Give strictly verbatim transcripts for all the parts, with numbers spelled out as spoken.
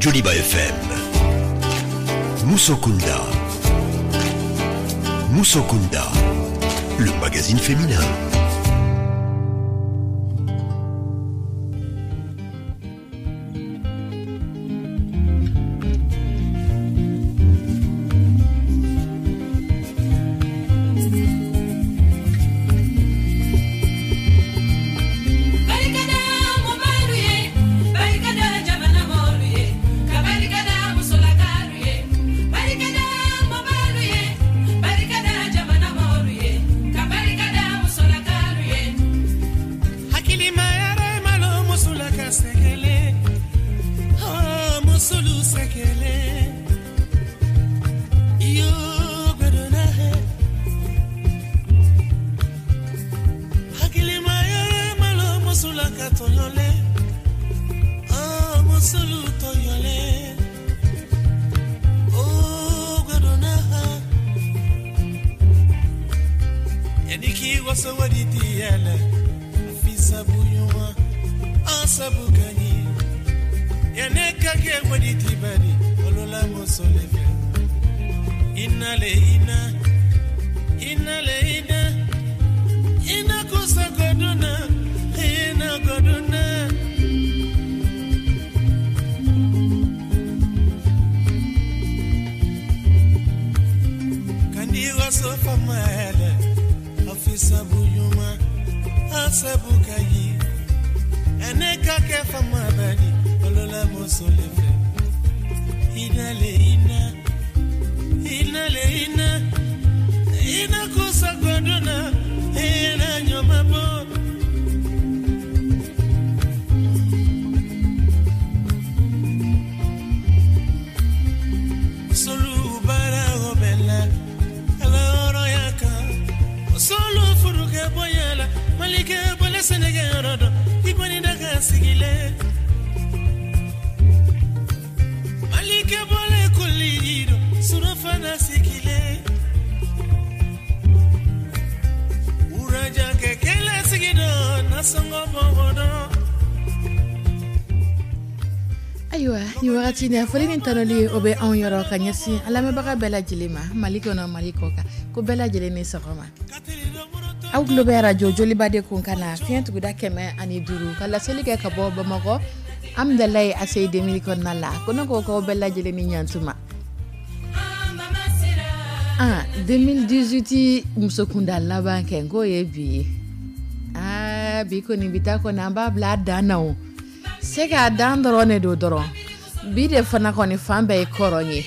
Joliba F M. Musokunda. Musokunda, le magazine féminin. Ayiwa, ni wagati in na, foli ni tanuli o bɛ anw yɔrɔ ka ɲɛsin an lamɛnbaga bɛɛ lajɛlen ma, Mali kɔnɔ, Mali kɔ kan, ko bɛɛ lajɛlen ni sɔgɔma. Aw tulo bɛ arajo Joliba de kun ka na fiɲɛ tuguda kɛmɛ ani duuru ka laseli kɛ ka bɔ Bamakɔ Amidalayi A C I demili kɔnɔna la. Ko ne ko k'aw bɛɛ lajɛlen ni ɲantuma. Ah, deux mille dix-huit musokunda laban kɛ n k'o ye bi ye. Ah, bi kɔni, bi ta kɔni, an b'a bila a dan na. O se k'a dan dɔrɔn de don dɔrɔn. Bi de fana kɔni, fan bɛɛ ye kɔrɔn ye.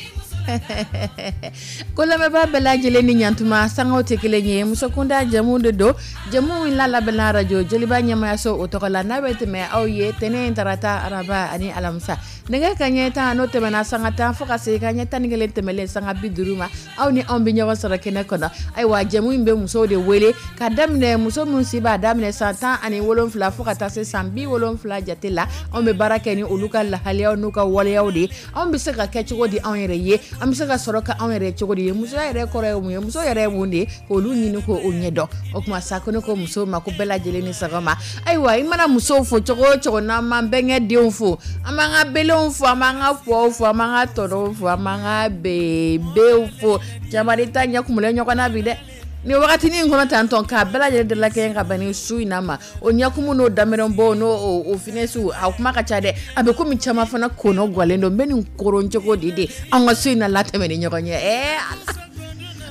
Ko lamɛnbaa bɛɛ lajɛlen ni ɲantuma. Sangaw tɛ kelen ye. Musokunda jɛmu de don, jɛmu in la labɛnna arajo Joliba ɲɛmayaso o tɔgɔ la, n'a bɛ tɛmɛ aw ye tɛnɛn, tarata, araba ani alamisa, nɛgɛ ka ɲɛ tan n'o tɛmɛna sanga tan fo ka se ka ɲɛ tan ni kelen tɛmɛlen sanga bi duuru ma, aw ni anw bɛ ɲɔgɔn sɔrɔ kɛnɛ kɔnɔ. Ayiwa, jɛmu in bɛ musow de wele ka daminɛ muso min si b'a daminɛ san tan ani wolonfila fo ka taa se san bi wolonfila jate la. Anw bɛ baara kɛ ni olu ka lahaliyaw n'u ka waleyaw de ye. Anw bɛ se ka kɛ cogo di anw yɛrɛ ye? An bɛ se ka sɔrɔ ka anw yɛrɛ cogo di ye? Musoya yɛrɛ kɔrɔ ye mun ye? Muso yɛrɛ ye mun de ye? K'olu ɲini k'o ɲɛdɔn. O tuma sa, ko ne ko musow ma ko bɛɛ lajɛlen ni sɔgɔma. Ayiwa, i mana musow fo cogo o cogo, n'an m'an bɛnkɛ denw fo, an b'an ka belenw fo, an b'an ka fɔw fo, an b'an ka tɔnɔw fo, an b'an ka bebew fo, caman ta ɲɛ kumulen ɲɔgɔn na bi dɛ. Ni wagatinin in kɔnɔ tantɔn k'a bɛɛ lajɛlen de la kɛ ka bɛn ni su in na ma, o ɲɛkumu n'o daminɛbɔ n'o o finɛsiw, a kuma ka ca dɛ. A bɛ komi caman fana kɔnɔ gɔlen don. N bɛ nin koron cogo di de an ka su in na latɛmɛ ni ɲɔgɔn ye? Ɛɛ,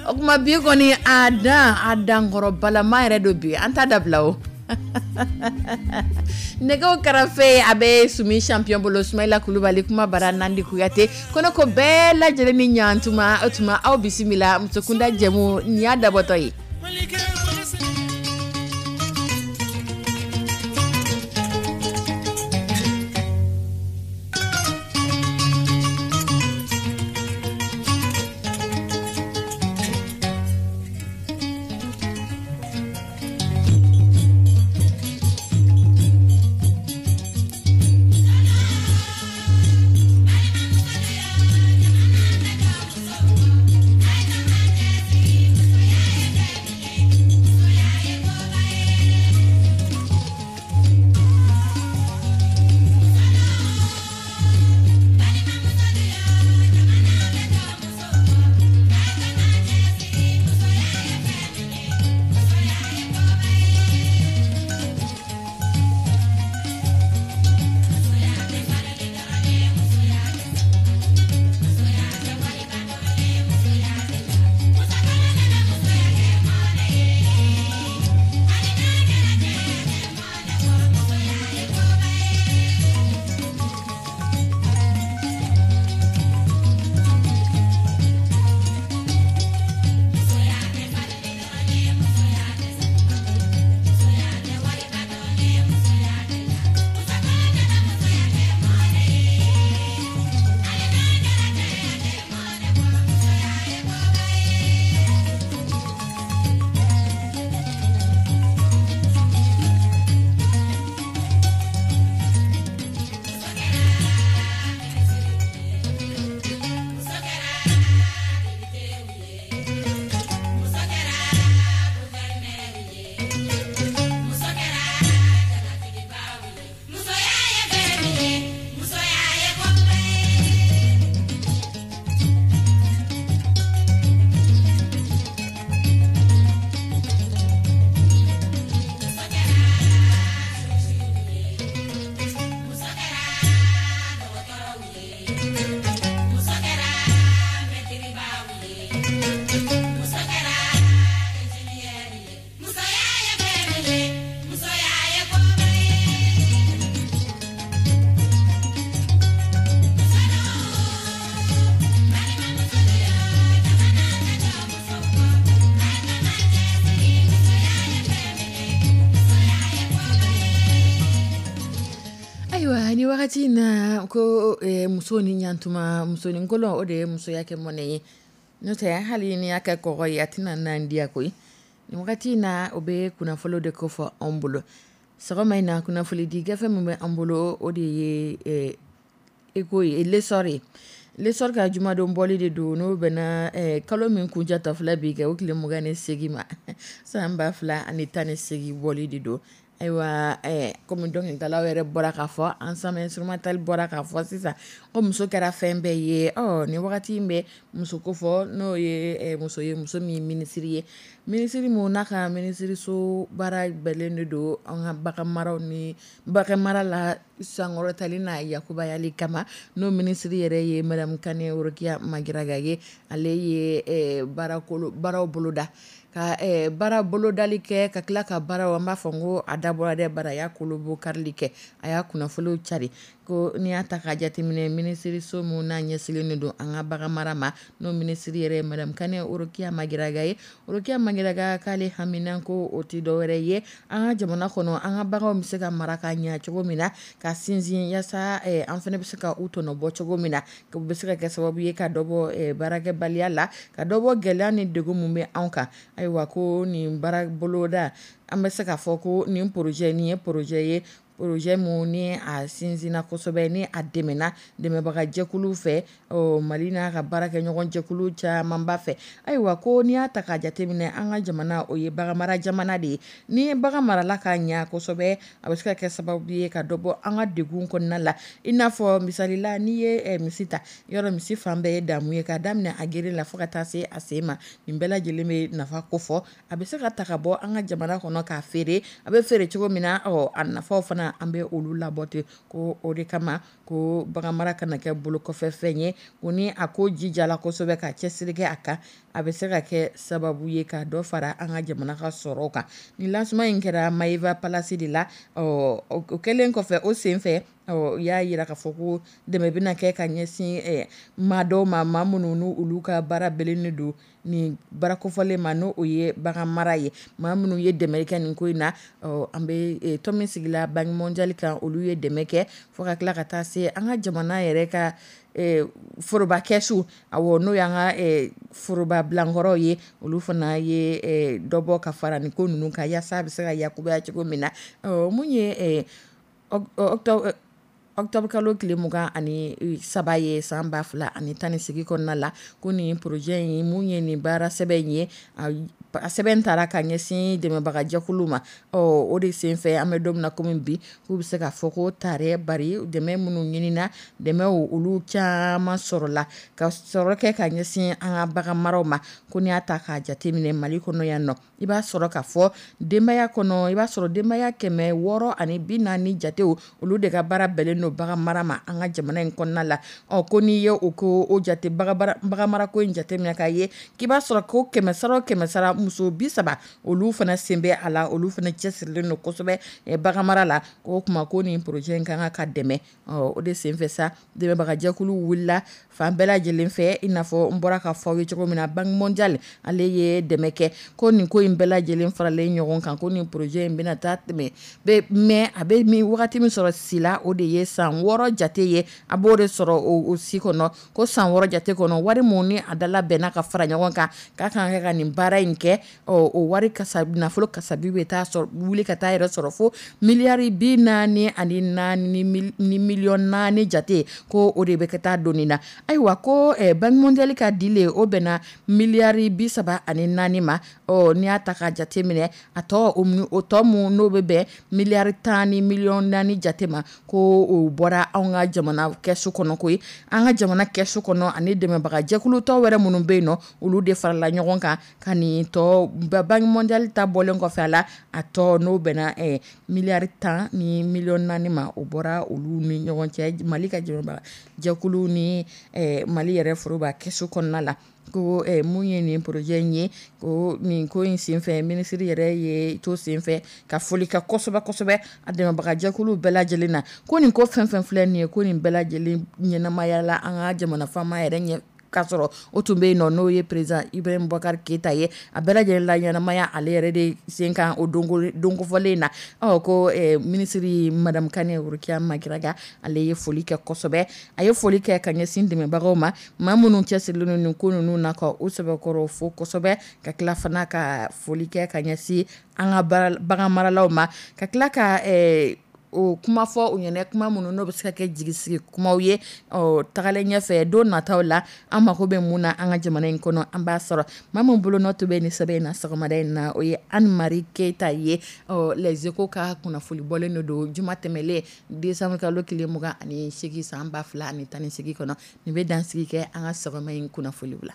o tuma bi kɔni, a dan a dankɔrɔ balama yɛrɛ don bi, an t'a dabila. O nɛgɛw karafe a bɛ Sumi Champion bolo, Sumayila Kulubali, kuma bara Nandi Kuyate. Ko ne ko bɛɛ lajɛlen ni ɲantuma. O tuma aw bisimila musokunda jɛmu nin y'a dabɔtɔ ye. Wagati in na ko eh, muso ni ɲantuma, musoninkolon, o de ye musoya kɛ mɔnɛ ye. N'o tɛ, hali ni y'a kɛ kɔgɔ ye, a tɛna nan diya koyi. Nin wagati in na, o bɛ kunnafolo de kofɔ anw bolo sɔgɔma in na. Kunnafoni di gafe min bɛ an bolo, o de ye eh, Échos ye, L'Essor ye. L'Essor ka jumadon bɔli de don, n'o bɛnna eh, kalo min kuncɛ tɔ filɛ bi kɛ, o tile mugan ni segin ma, san ba fila ani tan ni segin bɔli de don. Ayiwa, eh, komi dɔnkilidalaw yɛrɛ bɔra k'a fɔ, ensemble instrumental bɔra k'a fɔ sisan ko muso kɛra fɛn bɛɛ ye. Ɔ, nin wagati in bɛ muso ko fɔ, n'o ye eh, muso ye, muso min ye minisiri ye, minisiri mun n'a ka minisiriso baara bɛnnen de don an ka bagan maraw ni bagan mara la sankɔrɔtali n'a yakubayali kama, n'o minisiri yɛrɛ ye Madame Kane Worokiya Magiraga ye. Ale ye eh, baarakolo baaraw boloda ka eh, baara bolodali kɛ, ka tila ka baaraw, an b'a fɔ n ko a dabɔra dɛ, bara a y'a kolobo karili kɛ, a y'a kunnafoniw cari ko n'i y'a ta k'a jateminɛ, minisiriso mun n'a ɲɛsinnen don an ka bagan mara ma, n'o minisiri yɛrɛ ye Madame Kane Worokiya Magiraga ye. Worokiya Magiraga k'ale hamina ko o tɛ dɔwɛrɛ ye, an ka jamana kɔnɔ, an ka baganw bɛ se ka mara ka ɲɛ cogo min na, ka sinsin yaasa eh, an fana bɛ se ka u tɔnɔ bɔ cogo min na, o bɛ se ka kɛ sababu ye ka dɔ bɔ eh, baarakɛbaliya la, ka dɔ bɔ gɛlɛya ni degun mun bɛ anw kan. Ayiwa, ko nin baara boloda, an bɛ se k'a fɔ ko nin projet nin ye projet ye, projet mun ni a sinsinna kosɛbɛ, ni a dɛmɛna dɛmɛbaga jɛkuluw fɛ, ɔ, Mali n'a ka baarakɛɲɔgɔn jɛkulu camanba fɛ. Ayiwa, ko n'i y'a ta k'a jateminɛ, an ka jamana, o ye baganmara jamana de ye. Ni ye bagan marala ka ɲɛ kosɛbɛ, a bɛ se ka kɛ sababu ye ka dɔ bɔ an ka degun kɔnɔna la. I n'a fɔ misali la, n'i ye eh, misi ta, yɔrɔ misi fan bɛɛ ye damu ye, k'a daminɛ a gere la fo ka taa se a sen ma. Nin bɛɛ lajɛlen bɛ nafa kofɔ. A bɛ se ka ta ka bɔ an ka jamana kɔnɔ k'a feere, a bɛ feere cogo min na, ɔ, a nafaw fana, an bɛ olu labɔ ten. Ko o de kama ko baganmara kana kɛ bolokɔfɛ fɛn ye. Ko ni a ko jijala kosɛbɛ, ka cɛsiri kɛ a kan, a bɛ se ka kɛ sababu ye ka dɔ fara an ka jamana ka sɔrɔ kan. Nin lancement in kɛra Maeva Palace de la. Ɔ, o kɛlen kɔfɛ, o sen fɛ, ɔ, u y'a yira k'a fɔ ko dɛmɛ bɛna kɛ ka ɲɛsin eh, maa dɔw ma, maa minnu n'u olu ka baara bɛnnen don nin baara kofɔlen ma, n'o o ye bagan mara ye. Maa minnu ye dɛmɛ kɛ nin ko in na, ɔ, an bɛ eh, tɔn min sigila Banque mondiale kan, olu ye dɛmɛ kɛ, fo ka tila ka taa se an ka jamana yɛrɛ ka eh, foroba kɛsu, awɔ, n'o y'an ka eh, foroba bilankɔrɔw ye, olu fana ye eh, dɔ bɔ ka fara nin ko ninnu kan, yaasa a bɛ se ka yakubaya cogo min na. Ɔ, mun ye eh, octobre octobre kalo tile mugan ani saba ye san ba fila ani tan ni segin kɔnɔna la, ko nin projet in, mun ye nin baara sɛbɛn in ye, a sɛbɛn taara ka ɲɛsin dɛmɛbagajɛkulu ma. Ɔ, o de senfɛ, an bɛ don min na komi bi, k'u bɛ se k'a fɔ ko tare bari dɛmɛ minnu ɲinina, dɛmɛw olu caman sɔrɔla ka sɔrɔ kɛ ka ɲɛsin an ka bagan maraw ma. Ko n'i y'a ta k'a jateminɛ Mali kɔnɔ yan nɔ, i b'a sɔrɔ k'a fɔ denbaya kɔnɔ, i b'a sɔrɔ denbaya kɛmɛ wɔɔrɔ ani bi naani jatew, olu de ka baara bɛnnen don bagan mara ma an ka jamana in kɔnɔna la. Ɔ, ko n'i ye o ko o jate, bagan marako in jateminɛ k'a ye k'i b'a sɔrɔ ko kɛmɛ sara o kɛmɛ sara, muso bi saba olu fana sen bɛ a la, olu fana cɛsirilen don kosɛbɛ bagan mara la. Ko o tuma ko nin projet in ka kan ka dɛmɛ. Ɔ, o de senfɛ sa, dɛmɛbagajɛkulu wulila fan bɛɛ lajɛlen fɛ, i n'a fɔ n bɔra ka fɔ aw ye cogo min na, Banque mondiale ale ye dɛmɛ kɛ. Ko nin ko in bɛɛ lajɛlen faralen ɲɔgɔn kan, ko nin projet in bɛna taa tɛmɛ bɛ mɛ a bɛ min wagati min sɔrɔ si la, o de ye san wɔɔrɔ jate ye, a b'o de sɔrɔ o si kɔnɔ. Ko san wɔɔrɔ jate kɔnɔ, wari mun ni a dala bɛnna ka fara ɲɔgɔn kan k'a kan ka ka nin baara in kɛ, ɔ, o wari kasa, nafolo kasabi bɛ taa sɔrɔ wuli ka taa yɛrɛ sɔrɔ fo miliyari bi naani ani naani ni miliyɔn naani jate, ko o de bɛ ka taa doni na. Ayiwa, ko eh, Banque mondiale ka dilen, o bɛnna miliyari bi saba ani naani ma. Ɔ, n'i y'a ta k'a jate minɛ, a tɔ o tɔ mun n'o bɛ bɛn miliyari tan ni miliyɔn naani jate ma, ko o bɔra anw ka jamana kɛsu kɔnɔ koyi. An ka jamana kɛsu kɔnɔ ani dɛmɛbaga jɛkulu tɔ wɛrɛ minnu bɛ yen nɔ, olu de farala ɲɔgɔn kan ka nin tɔ, Banque mondiale ta bɔlen kɔfɛ a la, a tɔ n'o bɛnna eh, miliyari tan ni miliyɔn naani ma, o bɔra olu ni ɲɔgɔn cɛ, Mali ka dɛmɛbaga jɛkulu ni eh, Mali yɛrɛ foroba kɛsu kɔnɔna la. Ko eh, mun ye nin projet in ye, ko nin ko in senfɛ, minisiri yɛrɛ ye to senfɛ ka foli kɛ kosɛbɛ kosɛbɛ a dɛmɛbagajɛkulu bɛɛ lajɛlen na. Ko nin ko fɛn fɛn filɛ nin ye, ko nin bɛɛ lajɛlen ɲɛnamayala an ka jamana faama yɛrɛ ɲɛ K'a sɔrɔ o tun bɛ yen nɔ, n'o ye président Ibrahim Boubacar Keita ye. A bɛɛ lajɛlen la ɲɛnamaya ale yɛrɛ de sen kan o donkofɔlen na. Ɔ ko minisiri madame Kane Rokia Maguiraga, ale ye foli kɛ kosɛbɛ. A ye foli kɛ ka ɲɛsin dɛmɛbagaw ma, maa minnu cɛsirilen nin ko ninnu na, ka u sɛbɛkɔrɔ fo kosɛbɛ, ka tila fana ka foli kɛ ka ɲɛsin an ka bagan maralaw ma, ka tila ka o kuma fɔ u ɲɛna, kuma minnu n'o bɛ se ka kɛ jigisigi kumaw ye. Ɔ tagalen ɲɛfɛ, don nataw la, an mako bɛ mun na an ka jamana in kɔnɔ, an b'a sɔrɔ. Maa min bolo nɔ tun bɛ nin sɛbɛn in na sɔgɔmada in na, o ye Anne Marie Keita ye. Ɔ Les Échos ka kunnafoni bɔlen de don juma tɛmɛlen, décembre kalo tile mugan ani seegin san ba fila ani tan ni seegin kɔnɔ. Nin bɛ dansigi kɛ an ka sɔgɔma in kunnafoniw la.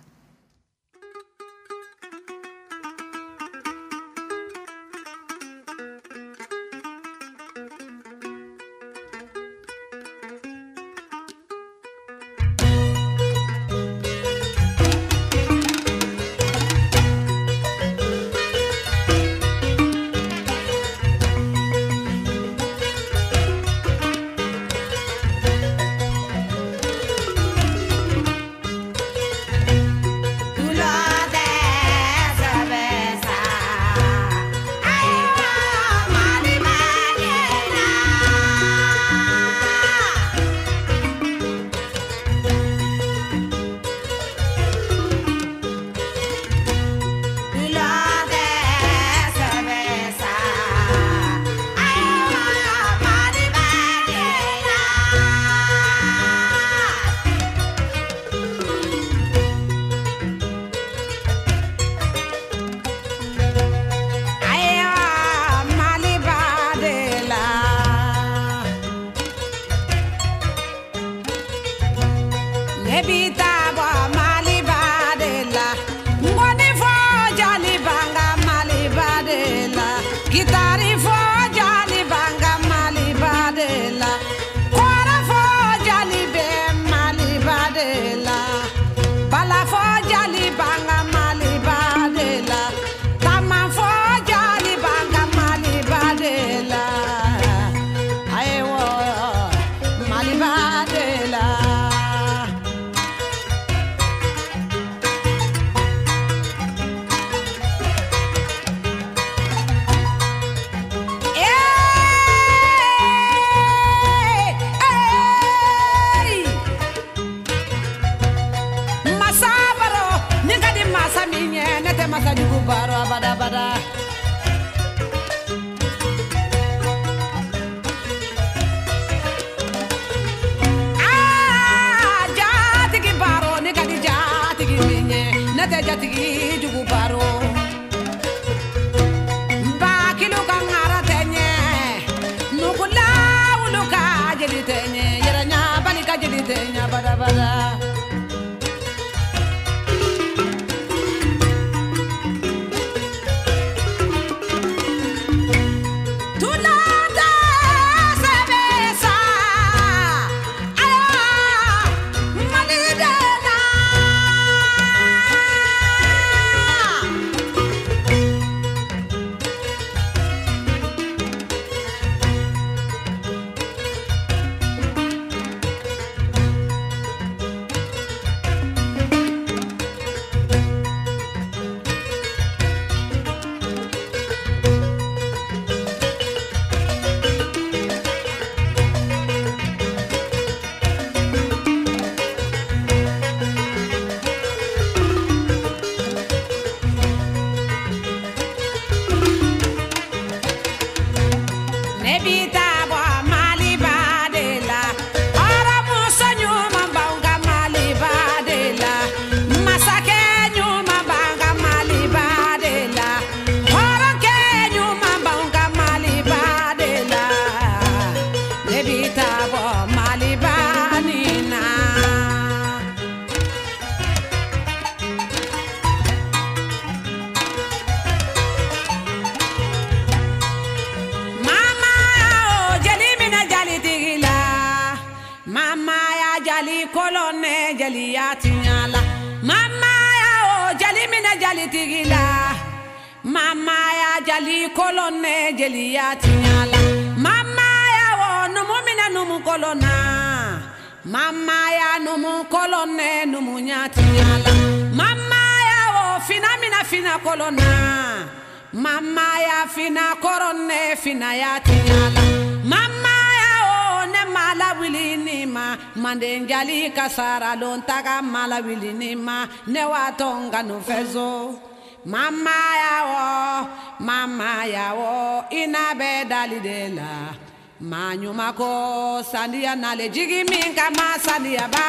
Mama ya numu kolone numu numunya tiɲala. Mama ya o fina mina fina kolona, mama ya fina korone fina ya tiɲala. Mama ya o ne mala wili ni ma, manden jali kasara lon taga mala wili ni ma, ne wa tonga no fezo. Mama ya o, mama ya o, ina be dali de la. Ma ko sandiya nale jigi min kama sandiya ba.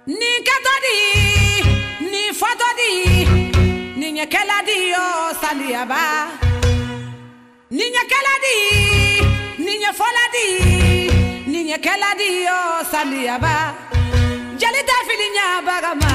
Ni kɛtɔ di, ni fɔtɔ di, ni ɲɛkɛla di yo sandiya ba. Ni ɲɛkɛla di, ni ɲɛfɔla di, ni ɲɛkɛla di yo sandiya ba. Jeli tɛ fili ɲabaga ma.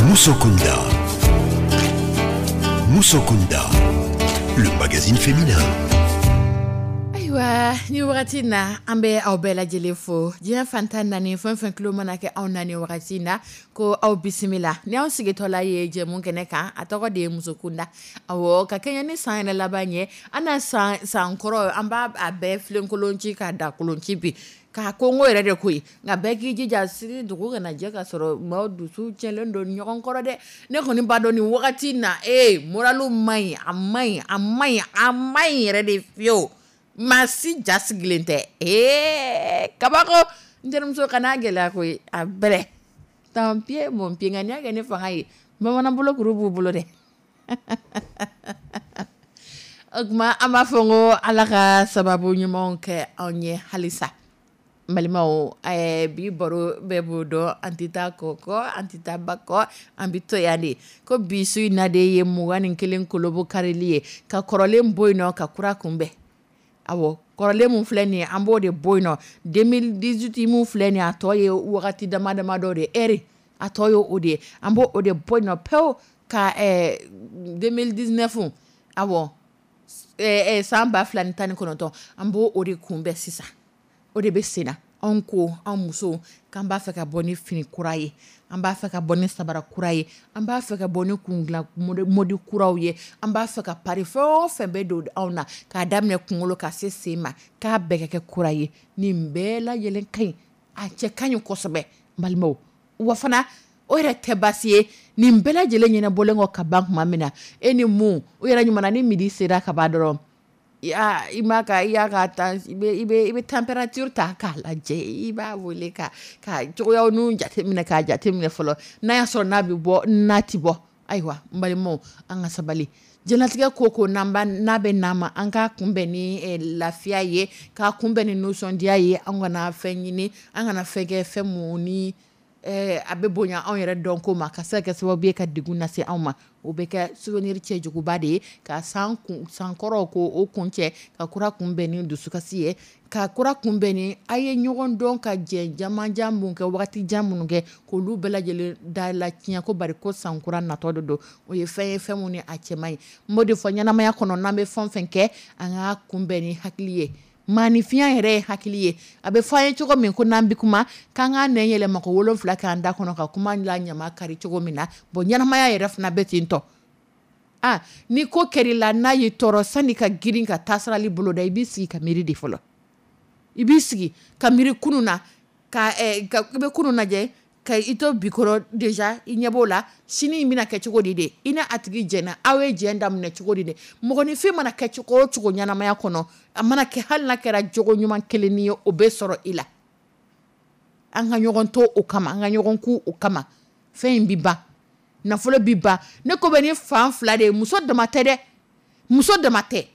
Musokunda. Musokunda, le magazine féminin. Ayiwa, ni wagati na an bɛ aw bɛɛ lajɛlen fo diɲɛ fantan naani fɛn fɛn tulo mana kɛ anw na ni wagati na, ko aw bisimila ni anw sigitɔla ye jɛmu kɛnɛ kan, a tɔgɔ de ye Musokunda. Awɔ, ka kɛɲɛ ni san yɛrɛ laban ye, an na san san kɔrɔ an b'a a bɛɛ filenkolon ci k'a da kolon ci bi k'a kongo yɛrɛ de koyi, nka bɛɛ k'i jija sini dugu kana jɛ ka sɔrɔ maaw dusu cɛlen don ɲɔgɔn kɔrɔ dɛ. Ne kɔni b'a dɔn nin wagati na ee moralu man ɲi, a man ɲi, a man ɲi, a man ɲi yɛrɛ de fiyewu. Maa si ja sigilen tɛ. Ee kabako, n terimuso kana gɛlɛya koyi, a bɛrɛ tant pis mon pied, nka n'i y'a kɛ ne fanga ye, bamanan bolo kuru b'u bolo dɛ. O tuma an b'a fɔ ko Ala ka sababu ɲumanw kɛ anw ye halisa. Balimaw, eh, bi baro bɛɛ b'o dɔn, an tɛ taa kɔ kɔ, an tɛ taa ba kɔ, an bɛ to yan de. Ko bi su in na de ye mugan ni kelen kolobo karili ye, ka kɔrɔlen bɔ yen nɔ, ka kura kunbɛn. Awɔ, kɔrɔlen mun filɛ nin ye, an b'o de bɔ yen nɔ. deux mille dix-huit mun filɛ nin ye, a tɔ ye wagati dama dama dɔ de ye, heure a tɔ ye o de ye. An b'o o de bɔ yen nɔ pewu ka eh, deux mille dix-neuf, awɔ, eh, eh, san ba fila ni tan ni kɔnɔntɔn, an b'o o de kunbɛn sisan. O de bɛ sen na. Anw ko an musow k'an b'a fɛ ka bɔ ni fini kura ye, an b'a fɛ ka bɔ ni sabara kura ye, an b'a fɛ ka bɔ ni kundilan mode kuraw ye, an b'a fɛ ka pari fɛn o fɛn bɛ don anw na, k'a daminɛ kunkolo ka se sen ma, k'a bɛɛ ka kɛ kura ye. Nin bɛɛ lajɛlen ka ɲi, a cɛ ka ɲi kosɛbɛ, n balimaw. Wa fana o yɛrɛ tɛ baasi ye. Nin bɛɛ lajɛlen ɲɛnabɔlen kɔ ka ban tuma min na, e ni mun o yɛrɛ ɲuman na, ni midi sera ka ban dɔrɔn, i ma ka i y'a ka tan, i bɛ i bɛ i bɛ température ta k'a lajɛ, i b'a wele ka ka cogoyaw n'u jateminɛ, k'a jateminɛ fɔlɔ n'a y'a sɔrɔ n'a bɛ bɔ, n'a ti bɔ. Ayiwa, n balimaw, an ka sabali. Diɲɛlatigɛ ko ko n'an b'a n'a bɛ n'an ma, an k'a kunbɛn ni lafiya ye, k'a kunbɛn ni nisɔndiya ye. An kana fɛn ɲini, an kana fɛn kɛ fɛn mun ni a bɛ bonya anw yɛrɛ dɔn ko ma, ka se ka kɛ sababu ye ka degun lase anw ma. O bɛ kɛ souvenir cɛjuguba de ye, ka san kun sankɔrɔw ko o kun cɛ, ka kura kunbɛn ni dusukasi ye, ka kura kunbɛn ni a ye ɲɔgɔn dɔn ka jɛ jamanjan mun kɛ, wagati jan minnu kɛ, k'olu bɛɛ lajɛlen da la tiɲɛ ko bari ko sankura natɔ de don. O ye fɛn ye, fɛn mun ni a cɛ man ɲi. N b'o de fɔ, ɲɛnamaya kɔnɔ, n'an bɛ fɛn o fɛn kɛ, an k'a kunbɛn ni hakili ye. Maaninfinya yɛrɛ ye hakili ye. A bɛ fɔ an ye cogo min ko n'an bɛ kuma, k'an k'an nɛn yɛlɛma ko wolonfila k'an da kɔnɔ ka kuma la ɲama kari cogo min na. Bon, ɲɛnamaya yɛrɛ fana bɛ ten tɔ. Ah, ni ko kɛr'i la, n'a y'i tɔɔrɔ, sani ka girin ka taasirali boloda, i b'i sigi ka miiri de fɔlɔ. I b'i sigi ka miiri kunun na, ka eh, ka i bɛ kunun lajɛ ka i to bi kɔrɔ déjà, i ɲɛ b'o la, sini in bɛna kɛ cogo di de? I ni a tigi jɛnna, aw ye jɛn daminɛ cogo di de? Mɔgɔninfin mana kɛ cogo o cogo ɲɛnamaya kɔnɔ, a mana kɛ, hali n'a kɛra jogo ɲuman kelen ye, o bɛ sɔrɔ i la. An ka ɲɔgɔn to o kama, an ka ɲɔgɔn ku o kama. Fɛn in bi ban, nafolo bi ban. Ne ko bɛ ni fan fila de ye, muso dama tɛ dɛ, muso dama tɛ,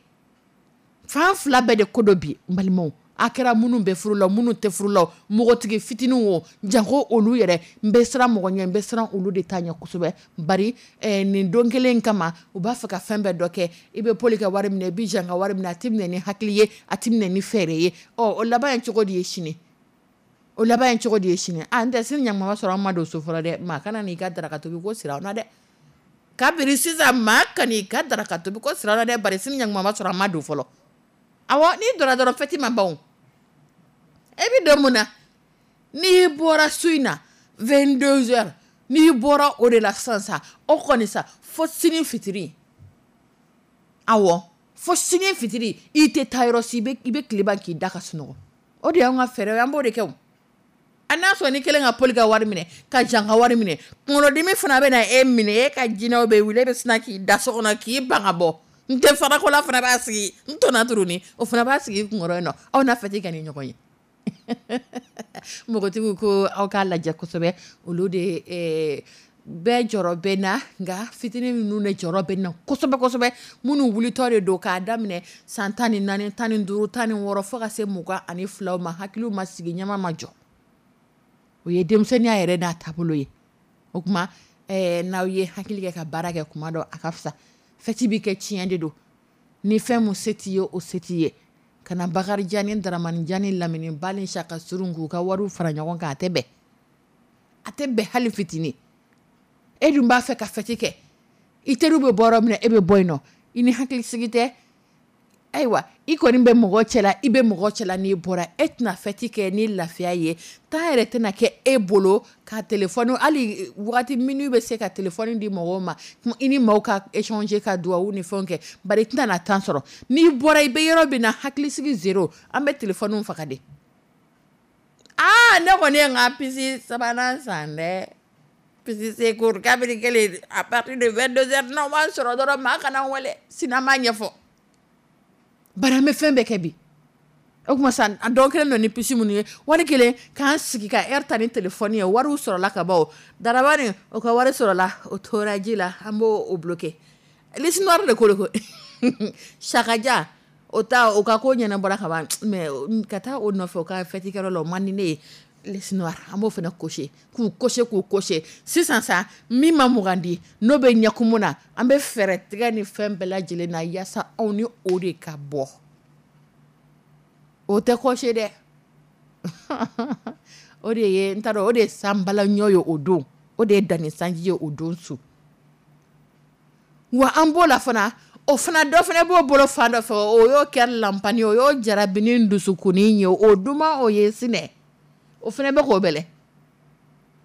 fan fila bɛɛ de ko dɔ bi. N balimaw, a kɛra minnu bɛ furu la, minnu tɛ furu la, mɔgɔtigi fitininw o, janko olu yɛrɛ, n bɛ siran mɔgɔ ɲɛ, n bɛ siran olu de ta ɲɛ kosɛbɛ. Bari eh, nin don kelen kama, u b'a fɛ ka fɛn bɛɛ dɔ kɛ. I bɛ poli ka wari minɛ, i bɛ jan ka wari minɛ, a tɛ minɛ ni hakili ye, a tɛ minɛ ni fɛɛrɛ ye. Ɔ, o laban ye cogo di ye sini? O laban ye cogo di ye sini? A n tɛ sini ɲamama sɔrɔ, an ma don so fɔlɔ dɛ. Maa kana n'i ka daraka tobi ko sira na dɛ. Kabini sisan, maa kan'i ka daraka tobi ko sira na dɛ, bari sini ɲamama sɔrɔ, an ma don fɔlɔ. Awɔ, n'i donna dɔrɔn, fɛti ma ban o. E bɛ don mun na? N'i bɔra su in na vingt-deux heures, n'i bɔra o de la sisan sa, o kɔni sa, fo sini fitiri. Awɔ, fo sini fitiri, i tɛ taa yɔrɔ si, i bɛ i bɛ tile ban k'i da ka sunɔgɔ. O de y'anw ka fɛɛrɛ ye, an b'o de kɛ o. A n'a sɔrɔ ni kelen ka poli ka wari minɛ, ka jan ka wari minɛ, kunkolodimi fana bɛ na e minɛ, e ka jinɛw bɛ wuli, e bɛ sina k'i da so kɔnɔ k'i ban ka bɔ. N tɛ farakola fana b'a sigi n tɔnɔ turuni, o fana b'a sigi kunkɔrɔ yen nɔ. Aw n'a fɛti ka ni ɲɔgɔn ye. Npogotigiw ko aw k'a lajɛ kosɛbɛ. Olu de eh, bɛɛ jɔrɔ bɛ na, nka fitinin ninnu de jɔrɔ bɛ na kosɛbɛ kosɛbɛ, minnu wulitɔ de don k'a daminɛ san tan ni naani, tan ni duuru, tan ni wɔɔrɔ, fo ka se mugan ani filaw ma. Hakiliw ma sigi, ɲɛma ma jɔ. O ye denmisɛnninya yɛrɛ n'a taabolo ye. O tuma eh, n'aw ye hakili kɛ ka baara kɛ kuma dɔ, a ka fisa. Fɛti bɛ kɛ, tiɲɛ de don. Ni fɛn mun se t'i ye, o se t'i ye. Kana Bakarijan ni Daramani ni Lamini ba ni Saka surun k'u ka wariw fara ɲɔgɔn kan, a tɛ bɛn, a tɛ bɛn hali fitinin. E dun b'a fɛ ka fɛti kɛ, i teriw bɛ bɔ yɔrɔ min na, e bɛ bɔ yen nɔ, i ni hakilisigi tɛ. Ayiwa, i kɔni bɛ mɔgɔ cɛla, i bɛ mɔgɔ cɛla. N'i bɔra, e tɛna fɛti kɛ ni lafiya ye. Temps yɛrɛ tɛna kɛ e bolo ka telefɔni, hali wagati minnu bɛ se ka telefɔni di mɔgɔw ma, i ni maaw ka échanger, ka duwawu ni fɛnw kɛ, bari i tɛna na temps sɔrɔ. N'i bɔra, i bɛ yɔrɔ min na, hakilisigi zéro. An bɛ telefɔniw faga de. Aa, ne kɔni ye n ka puce sabanan san dɛ, puce secours. Kabini kelen, à partir de vingt-deux heures, n'aw m'an sɔrɔ dɔrɔn, maa kana n wele sini, an b'a ɲɛfɔ. Bari an bɛ fɛn bɛɛ kɛ bi. O tuma sa, a dɔw kelen don ni puce minnu ye, wari kelen k'an sigi ka heure ta ni telefɔni ye, wariw sɔrɔla ka ban. O Darabani, o ka wari sɔrɔla, o tora ji la, an b'o o bloqué. Liste noire de ko de ko Sakaja, O ta o ka ko ɲɛnabɔra ka ban, mais ka taa o nɔfɛ o ka fête kɛyɔrɔ la, o man di ne ye. Liste noire, an b'o fana cocher, k'u cocher, k'u cocher. Sisan sa, min ma mugan di, n'o bɛ ɲɛkumu na, an bɛ fɛɛrɛ tigɛ ni fɛn bɛɛ lajɛlen na yaasa anw ni o de ka bɔ. O tɛ cocher dɛ. O de ye, n t'a dɔn, o de ye sanbala ɲɔ ye o don, o de ye danni sanji ye o don su. Wa an b'o la fana, o fana dɔ fana b'o bolo fan dɔ fɛ, o y'o kɛ lanpani, o y'o jarabini dusukunni ye, o duman o ye sinɛ, o fana bɛ k'o bɛlɛ.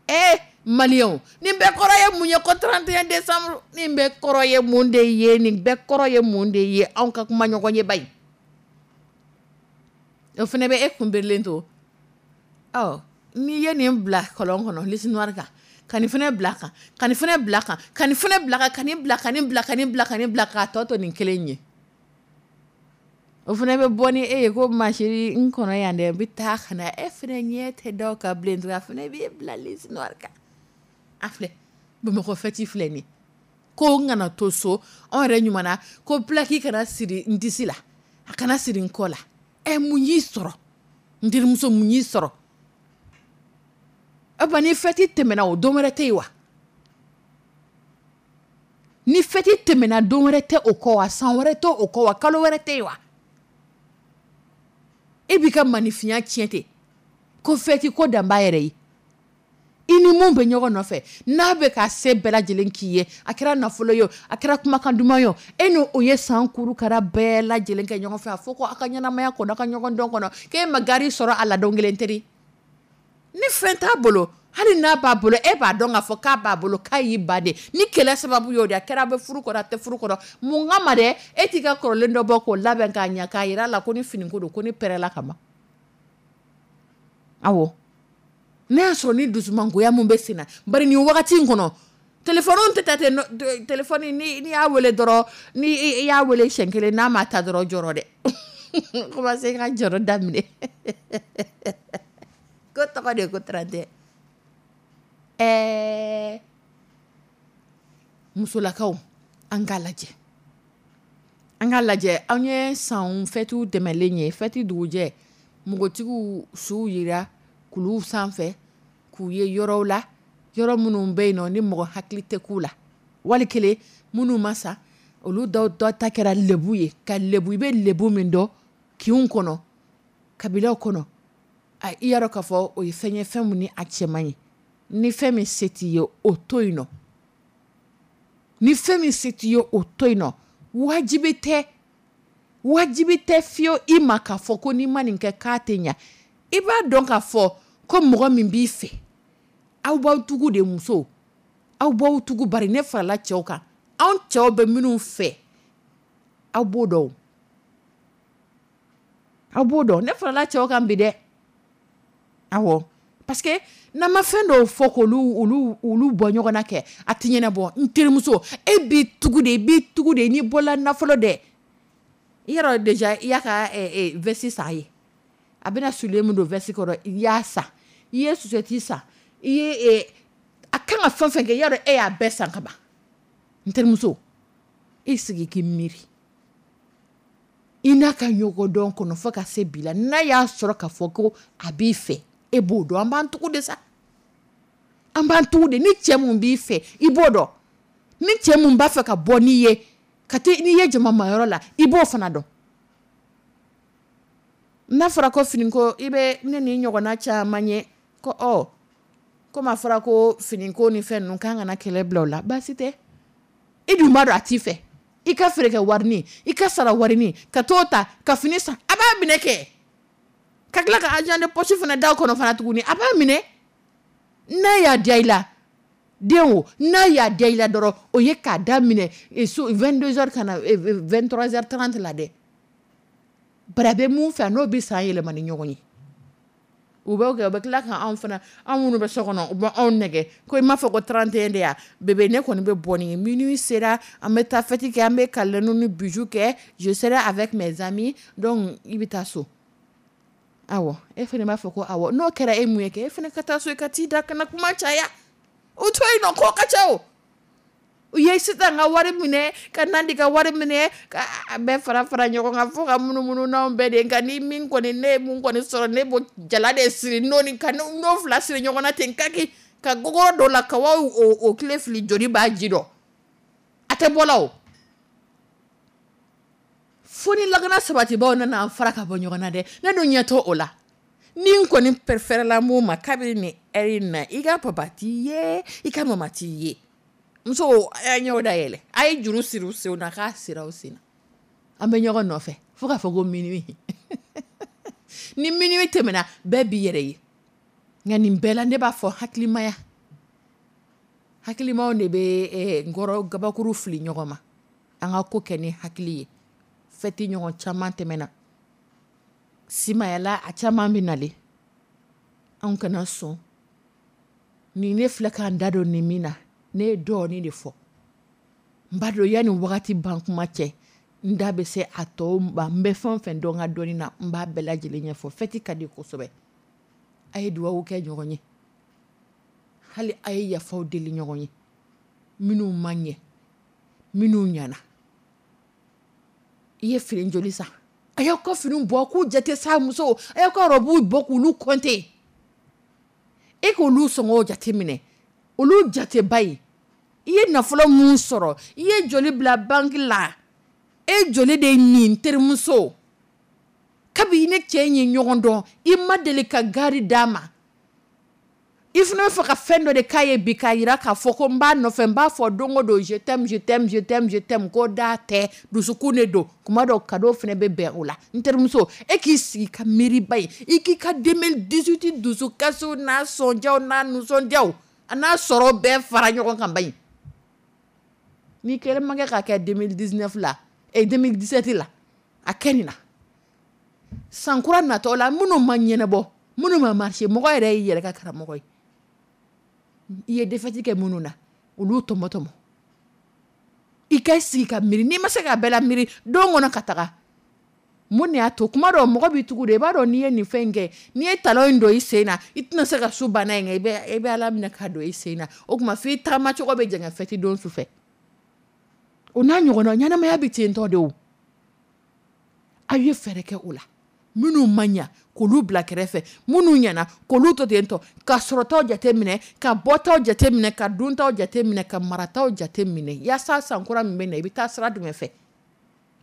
Ee maliyɛnw, nin bɛɛ kɔrɔ ye mun ye? Ko trente et un décembre, nin bɛɛ kɔrɔ ye mun de ye? Nin bɛɛ kɔrɔ ye mun de ye? Anw ka kuma ɲɔgɔn ye bayi, o fana bɛ e kunbirilen to. Ɔ n'i ye nin bila kɔlɔn kɔnɔ, liste noire kan, ka nin fana bila kan, ka nin fana bila kan, ka nin fana bila kan, ka nin bila, ka nin bila, ka nin bila, ka nin bila, k'a tɔ to nin kelen ye, o fana bɛ bɔ ni e ye ko ma chérie, n kɔnɔ yan dɛ, n bɛ taa ka na. E fana ɲɛ tɛ da o kan bilen tugun, a fana b'e bila liste noire kan. A filɛ, Bamakɔ fête filɛ nin ye, ko n kana to so, anw yɛrɛ ɲuman na ko plaque kana siri n disi la, a kana siri n kɔ la. Ɛ, mun y'i sɔrɔ, n terimuso? Mun y'i sɔrɔ? O ni fête tɛmɛna, o don wɛrɛ tɛ yen wa? Ni fête tɛmɛna, don wɛrɛ tɛ o kɔ wa? San wɛrɛ tɛ o kɔ wa? Kalo wɛrɛ tɛ yen wa? E b'i ka maninfinya tiɲɛ ten ko fête ko dan b'a yɛrɛ ye. I ni mun bɛ ɲɔgɔn nɔfɛ, n'a bɛ ka se bɛɛ lajɛlen k'i ye, a kɛra nafolo ye o, a kɛra kumakan duman ye o, e ni o ye san kuru kara bɛɛ lajɛlen kɛ ɲɔgɔn fɛ, a fɔ ko aw ka ɲɛnamaya kɔnɔ, aw ka ɲɔgɔn dɔn kɔnɔ, k'e ma gari sɔrɔ a la don kelen teri. Ni fɛn t'a bolo, hali n'a b'a bolo, e b'a dɔn k'a fɔ k'a b'a bolo, k'a y'i ba de ni kɛlɛ sababu y'o de, a kɛra a bɛ furu kɔnɔ, a tɛ furu kɔnɔ, mun kama dɛ, e t'i ka kɔrɔlen dɔ bɔ k'o labɛn k'a ɲɛ, k'a yira a la ko ni finiko don, ko ni pɛrɛla ka ban. Awɔ, n'a y'a sɔrɔ ni dusumangoya mun bɛ sen na, bari nin wagati in kɔnɔ, telefɔni tɛ taa ten. Telefɔni, ni n'i y'a wele dɔrɔn, ni i y'a wele siɲɛ kelen, n'a ma ta dɔrɔn, jɔrɔ dɛ, commencé ka jɔrɔ daminɛ ko tɔgɔ de ye ko trente. Ɛɛ musolakaw, an k'a lajɛ, an k'a lajɛ. An ye san fêtew tɛmɛlen ye, fête dugujɛ, npogotigiw suw yira kuluw sanfɛ k'u ye yɔrɔw la, yɔrɔ minnu bɛ yen nɔ ni mɔgɔ hakili tɛ k'u la, wali kelen minnu ma sa, olu dɔw dɔ ta kɛra lebu ye, ka lebu, i bɛ lebu min dɔn kinw kɔnɔ, kabilaw kɔnɔ, a i y'a dɔn k'a fɔ o ye fɛn ye, fɛn min ni a cɛ man ɲi. Ni fɛn min se t'i ye, o to yen nɔ. Ni fɛn min se t'i ye, o to yen nɔ. Wajibi tɛ, wajibi tɛ fiyewu i ma k'a fɔ ko n'i ma nin kɛ k'a tɛ ɲa. I b'a dɔn k'a fɔ ko mɔgɔ min b'i fɛ, aw b'aw tugu de, muso, aw b'aw tugu, bari ne farala cɛw kan, anw cɛw bɛ minnu fɛ, aw b'o dɔn, aw b'o dɔn. Ne farala cɛw kan bi dɛ. Awɔ, parce que n'an ma fɛn dɔw fɔ k'olu olu olu bɔ ɲɔgɔn na kɛ, a tɛ ɲɛnabɔ. N terimuso, e b'i tugu de, i b'i tugu de n'i bɔla nafolo dɛ. I yɛrɛ déjà, i y'a ka veste san a ye, a bɛna soulier min don veste kɔrɔ, i y'a san, i ye chaussette san, i ye a kan ka fɛn fɛn kɛ, i y'a dɔn e y'a bɛɛ san ka ban. N terimuso, e sigi k'i miiri i n'a ka ɲɔgɔn dɔn kɔnɔ fo ka se bi la, n'a y'a sɔrɔ k'a fɔ ko a b'i fɛ, e b'o dɔn. An b'an tugu de sa, an b'an tugu de. Ni cɛ mun b'i fɛ, i b'o dɔn. Ni cɛ mun b'a fɛ ka bɔ n'i ye ka taa n'i ye jamamayɔrɔ la, i b'o fana dɔn. N'a fɔra ko finiko, i bɛ ne ni ɲɔgɔnna caman ye ko ɔ komi a fɔra ko finiko ni fɛn ninnu k'an kana kɛlɛ bila o la, baasi tɛ. I dun b'a dɔn a t'i fɛ, i ka feere kɛ warini, i ka sara warini, ka t'o ta ka fini san, a b'a minɛ kɛ ka tila ka argent de poche fana da o kɔnɔ fana tuguni, a b'a minɛ. N'a y'a diya i la den o, n'a y'a diya i la dɔrɔn, o ye k'a daminɛ so vingt-deux heures ka na vingt-trois heures trente la dɛ. Bari a bɛ mun fɛ, a n'o bɛ san yɛlɛma ni ɲɔgɔn ye. U b'o kɛ, u bɛ tila ka anw fana, anw minnu bɛ so kɔnɔ, u bɛ anw nɛgɛ ko i m'a fɔ ko trente et un de ya bébé, ne kɔni bɛ bɔ ni ye, minuit sera, an bɛ taa fête kɛ, an bɛ câlin ni bijou kɛ, je serai avec mes amis, donc i bɛ taa so. Awɔ, e fana b'a fɔ ko awɔ. N'o kɛra, e mun ye kɛ? E fana ka taa so, i ka t'i da, kana kuma caya. O to yen nɔ, ko ka ca o. U ye sisan ka wari minɛ, ka Nandi ka wari minɛ, ka a bɛɛ fara fara ɲɔgɔn kan fo ka munumunu n'anw bɛɛ de. Nka ni min kɔni, ne ye mun kɔni sɔrɔ, ne b'o jala de siri n'o ni ka n'o fila siri ɲɔgɔn na ten kaki ka gogoro dɔ la ka wa o o tile fili, joli b'a ji dɔn, a tɛ bɔ la o. Fo ni lakana sabatibaw nana an fara ka bɔ ɲɔgɔn na dɛ. Ne dun ɲɛ t'o la. Ni n kɔni préféré mun ma, kabini nin heure in na, i ka papa t'i ye, i ka mama t'i ye. Muso, a y'a ɲɛw dayɛlɛ, a ye juru siri u senw na, k'a sira u sen na, an bɛ ɲɔgɔn nɔfɛ fo k'a fɔ ko minuit. Ni minuit tɛmɛna, bɛɛ b'i yɛrɛ ye. Nka nin bɛɛ la, ne b'a fɔ hakilimaya, hakilimaw de bɛ nkɔrɔ gabakuru fili ɲɔgɔn ma. An ka ko kɛ ni hakili ye. Fɛti ɲɔgɔn caman tɛmɛna simayala, a caman bɛ nalen, anw kana sɔn nin. Ne filɛ k'an da don nin min na, ne ye dɔɔnin de fɔ. N b'a dɔn yanni wagati ban kuma cɛ, n da bɛ se a tɔw ma. N bɛ fɛn o fɛn dɔn n ka dɔnni na, n b'a bɛɛ lajɛlen ɲɛfɔ. Fɛti ka di kosɛbɛ. A ye dugawu kɛ ɲɔgɔn ye, hali a ye yafaw deli ɲɔgɔn ye, minnu ma ɲɛ, minnu ɲɛna. I ye fini joli san? A y'aw ka fini bɔ k'u jate sa. Muso, a y'aw ka robe bɔ k'olu compter, e k'olu sɔngɔw jate minɛ, olu jateba ye. I ye nafolo mun sɔrɔ? I ye joli bila banque la? E joli de nin? Terimuso, kabi ne cɛ in ye ɲɔgɔn dɔn, i ma deli ka gari d'a ma. I fana bɛ fɛ ka fɛn dɔ de k'a ye bi, k'a jira k'a fɔ ko n b'a nɔfɛ, n b'a fɔ don o don: "Je t'aime, je t'aime, je t'aime, je t'aime." Ko da tɛ, dusukun de don. Kuma dɔw, cadeau fana bɛ bɛn o la. N terimuso, e k'i sigi ka miiriba ye, i k'i ka deux mille dix-huit dusukasiw n'a sɔnjaw n'a nisɔndiyaw, a n'a sɔrɔ bɛɛ fara ɲɔgɔn kan. Ba in, n'i kɛlen ma kɛ k'a kɛ deux mille dix-neuf la, eh, deux mille dix-sept la, a kɛ nin na san kura natɔ la. Minnu ma ɲɛnabɔ, minnu ma marché, mɔgɔ yɛrɛ y'i yɛrɛ ka karamɔgɔ ye. I ye défaite kɛ minnu na, olu tɔmɔ tɔmɔ, i ka sigi ka miiri. N'i ma se k'a bɛɛ la miiri don kɔnɔ ka taga, mun de y'a to kuma dɔw mɔgɔ b'i tugu de? I b'a dɔn, n'i ye nin fɛn in kɛ, n'i ye talon in don i sen na, i tɛna se ka su banna in kɛ. i bɛ i bɛ Ala minɛ k'a don i sen na. O tuma f'i taama cogo bɛ jɛngɛ fɛti don su fɛ. O n'a ɲɔgɔnna, ɲɛnamaya bɛ ten tɔ de. O aw ye fɛɛrɛ kɛ o la. Minnu ma ɲa, k'olu bila kɛrɛfɛ, minnu ɲɛna, k'olu to ten tɔ, ka sɔrɔtaw jate minɛ, ka bɔtaw jate minɛ, ka duntaw jate minɛ, ka marataw jate minɛ, yaasa sankura min bɛ na, i bɛ taa sira jumɛn fɛ?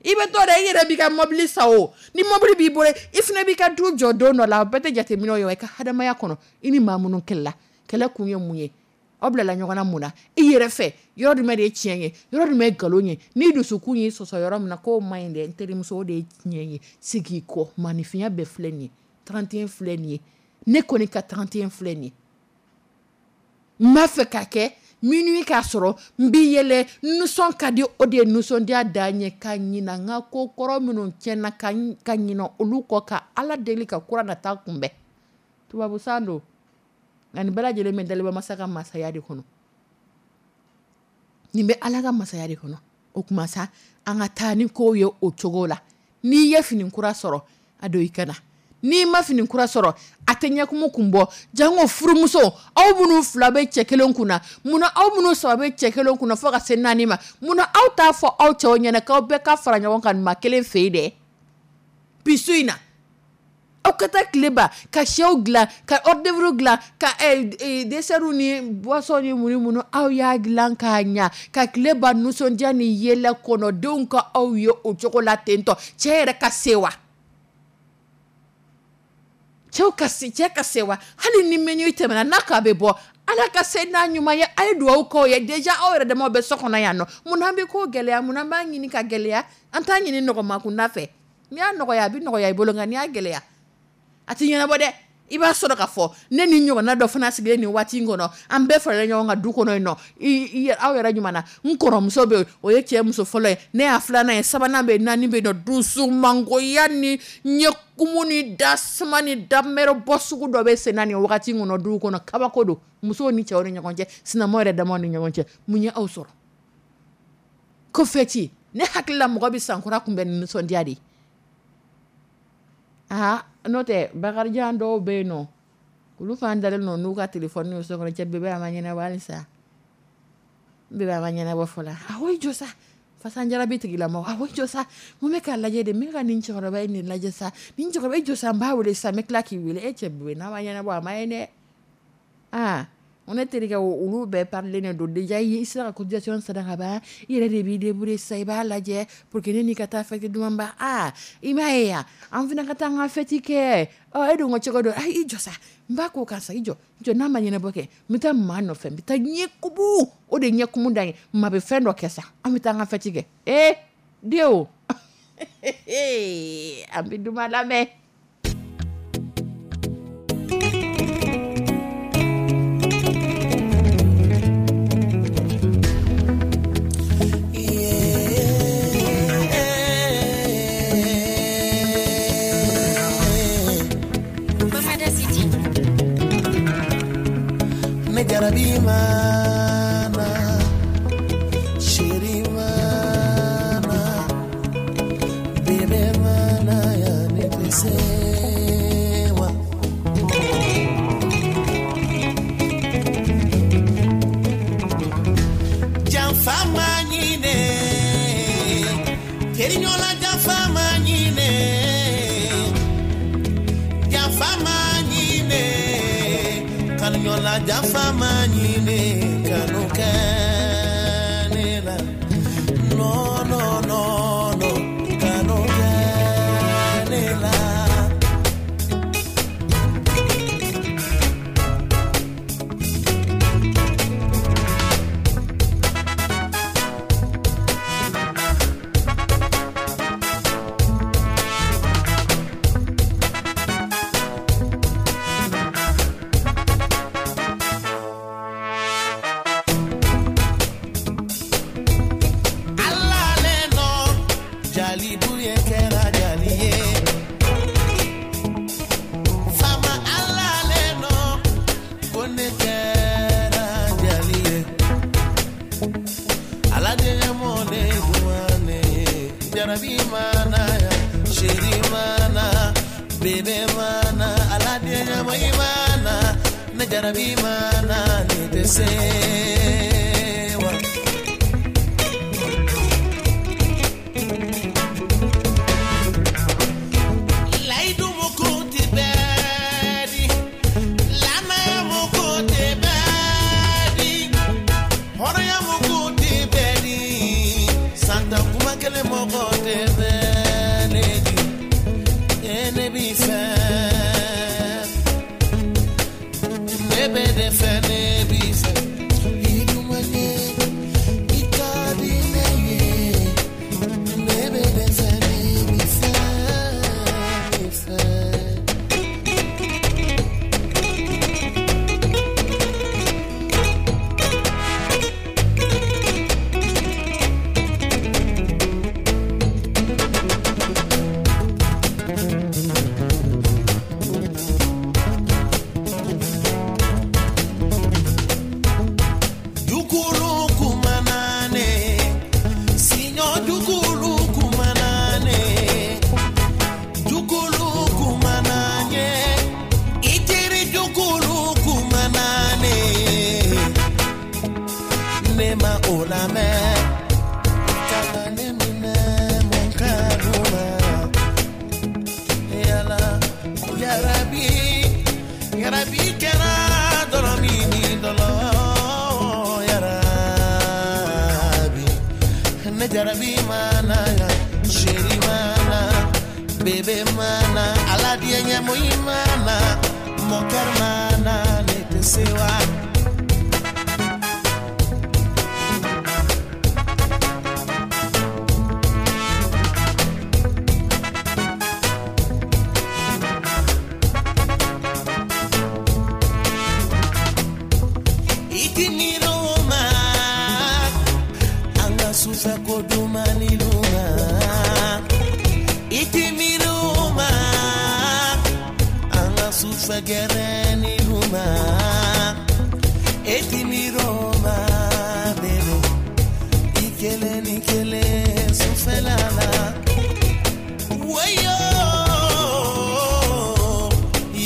I bɛ to dɛ, i yɛrɛ b'i ka mɔbili san. O ni mɔbili b'i bolo, i fana b'i ka du jɔ don dɔ la. O bɛɛ tɛ jateminɛ ye wa? I ka hadamaya kɔnɔ, i ni maa minnu kɛlɛla, kɛlɛ kun ye mun ye? Aw bilala ɲɔgɔn na mun na? I yɛrɛ fɛ, yɔrɔ jumɛn de ye tiɲɛ ye, yɔrɔ jumɛn ye nkalon ye? N'i dusukun y'i sɔsɔ yɔrɔ min na k'o man ɲi dɛ, n terimuso, o de ye tiɲɛ ye. Segin i kɔ. Maanifinya bɛɛ filɛ nin ye, trente et un filɛ nin ye. Ne kɔni ka trente et un filɛ nin ye. N b'a fɛ k'a kɛ minuit k'a sɔrɔ n b'i yɛlɛ, nisɔn ka di. O de ye nisɔndiya dan ye, ka ɲina n ka ko kɔrɔ minnu tiɲɛna, ka ka ɲina olu kɔ, ka Ala deli ka kura nata kunbɛn. Tubabu san don, nka nin bɛɛ lajɛlen bɛ Daliba masa ka masaya de kɔnɔ. Nin bɛ Ala ka masaya de kɔnɔ. O tuma sa, an ka taa ni kow ye o cogo la. N'i ye fini kura sɔrɔ, a don i ka na. N'i ma fini kura sɔrɔ, a tɛ ɲɛkumu kun bɔ. Jango furumuso, aw minnu fila bɛ cɛ kelen kunna, munna aw minnu saba bɛ cɛ kelen kunna, fo ka se naani ma, munna aw t'a fɔ aw cɛw ɲɛna k'aw bɛɛ ka fara ɲɔgɔn kan maa kelen fɛ yen dɛ? Bi su in na, aw ka taa tileba ka sɛw dilan, ka hors d'œuvre dilan, ka dessert ni boisson ni mun ni mun. Aw y'a dilan k'a ɲa, ka tileba nisɔndiya ni yɛlɛ kɔnɔ, denw ka aw ye o cogo la ten tɔ. Cɛ yɛrɛ ka sewa, cɛw ka se, cɛ ka sewa. Hali ni minuit tɛmɛna n'a k'a bɛ bɔ, Ala ka se n'a ɲuman ye. A ye dugawu k'aw ye. Déjà aw yɛrɛ damaw bɛ so kɔnɔ yan nɔ. Munna an bɛ ko gɛlɛya? Munna an b'a ɲini ka gɛlɛya? An t'a ɲini nɔgɔma kunda fɛ. N'i y'a nɔgɔya, a bɛ nɔgɔya i bolo, nka n'i y'a gɛlɛya, a tɛ ɲɛnabɔ dɛ. I b'a sɔrɔ k'a fɔ ne ni ɲɔgɔnna dɔ fana sigilen nin waati in kɔnɔ, an bɛɛ faralen ɲɔgɔn kan du kɔnɔ yen nɔ. I aw yɛrɛ ɲuman na, n kɔrɔmuso bɛ yen, o ye cɛ muso fɔlɔ ye, ne y'a filanan ye, sabanan bɛ yen, naani bɛ yen nɔ. Dusumangoya ni ɲɛkumu ni dasuma ni damɛrɛ bɔ sugu dɔ bɛ sen na nin wagati in kɔnɔ du kɔnɔ. Kabako don, musow ni cɛw ni ɲɔgɔn cɛ, sinamaw yɛrɛ damaw ni ɲɔgɔn cɛ. Mun ye aw sɔrɔ ko fɛti? Ne hakili la, mɔgɔ bɛ sankura kunbɛn ni nisɔndiya de ye. Aa, n'o tɛ, Bakarijan dɔw bɛ yen nɔ, olu fana dalen don n'u ka telefɔni ye so kɔnɔ. Cɛ bébé, a ma ɲɛnabɔ halisa. N bɛ ma ɲɛnabɔ fɔlɔ a ko i jɔ sa fasanjarabi tigilama a ko i jɔ sa mun bɛ k'a lajɛ de n bɛ ka nin cɛkɔrɔba in de lajɛ sa nin cɛkɔrɔba i jɔ sa n b'a wele sa n bɛ tila k'i wele e cɛ bɛ n'a ma ɲɛnabɔ a ma ye dɛ aa ne terikɛ olu bɛɛ parilen de don déjà i sera ka cotisation sara ka ban i yɛrɛ de b'i débrouiller sisan i b'a lajɛ pour que ne n'i ka taa fête dumanba aa i m'a ye yan an fana ka taa an ka fête kɛ ɔ e dun ko cogo dɔ ayi i jɔ sa n b'a ko karisa i jɔ i jɔ n'a ma ɲɛnabɔ kɛ n bɛ taa maa nɔfɛ n bɛ taa ɲɛ kumu o de ɲɛ kumu da ye maa bɛ fɛn dɔ kɛ sa an bɛ taa an ka fête kɛ ee denw an bɛ duman lamɛn. Jarabi mana, sheri mana, bebe mana ya netesewa. Janfa manyine, kerinyola janfa manyine, janfa manyine. Kanyola jafa manyine kanu kanela no no no no kanu kanela.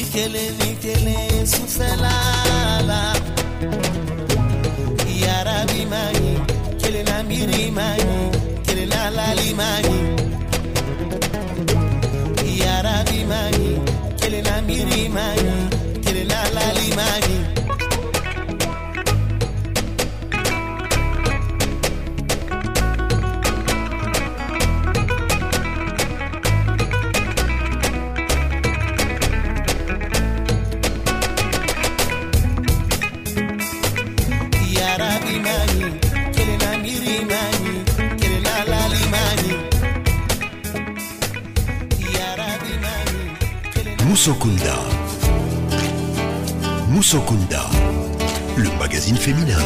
Kelen ni kelen sufɛla la. Yarabi ma ɲi. miiri ma ɲi, kelenna lali ma ɲi. Yarabi ma ɲi, kelenna miiri ma ɲi, kelenna lali ma ɲi. Yarabi ma ɲi, kelenna miiri ma ɲi, kelenna lali ma ɲi. Yarabi ma ɲi, kelenna Musokunda. Musokunda, le magazine féminin.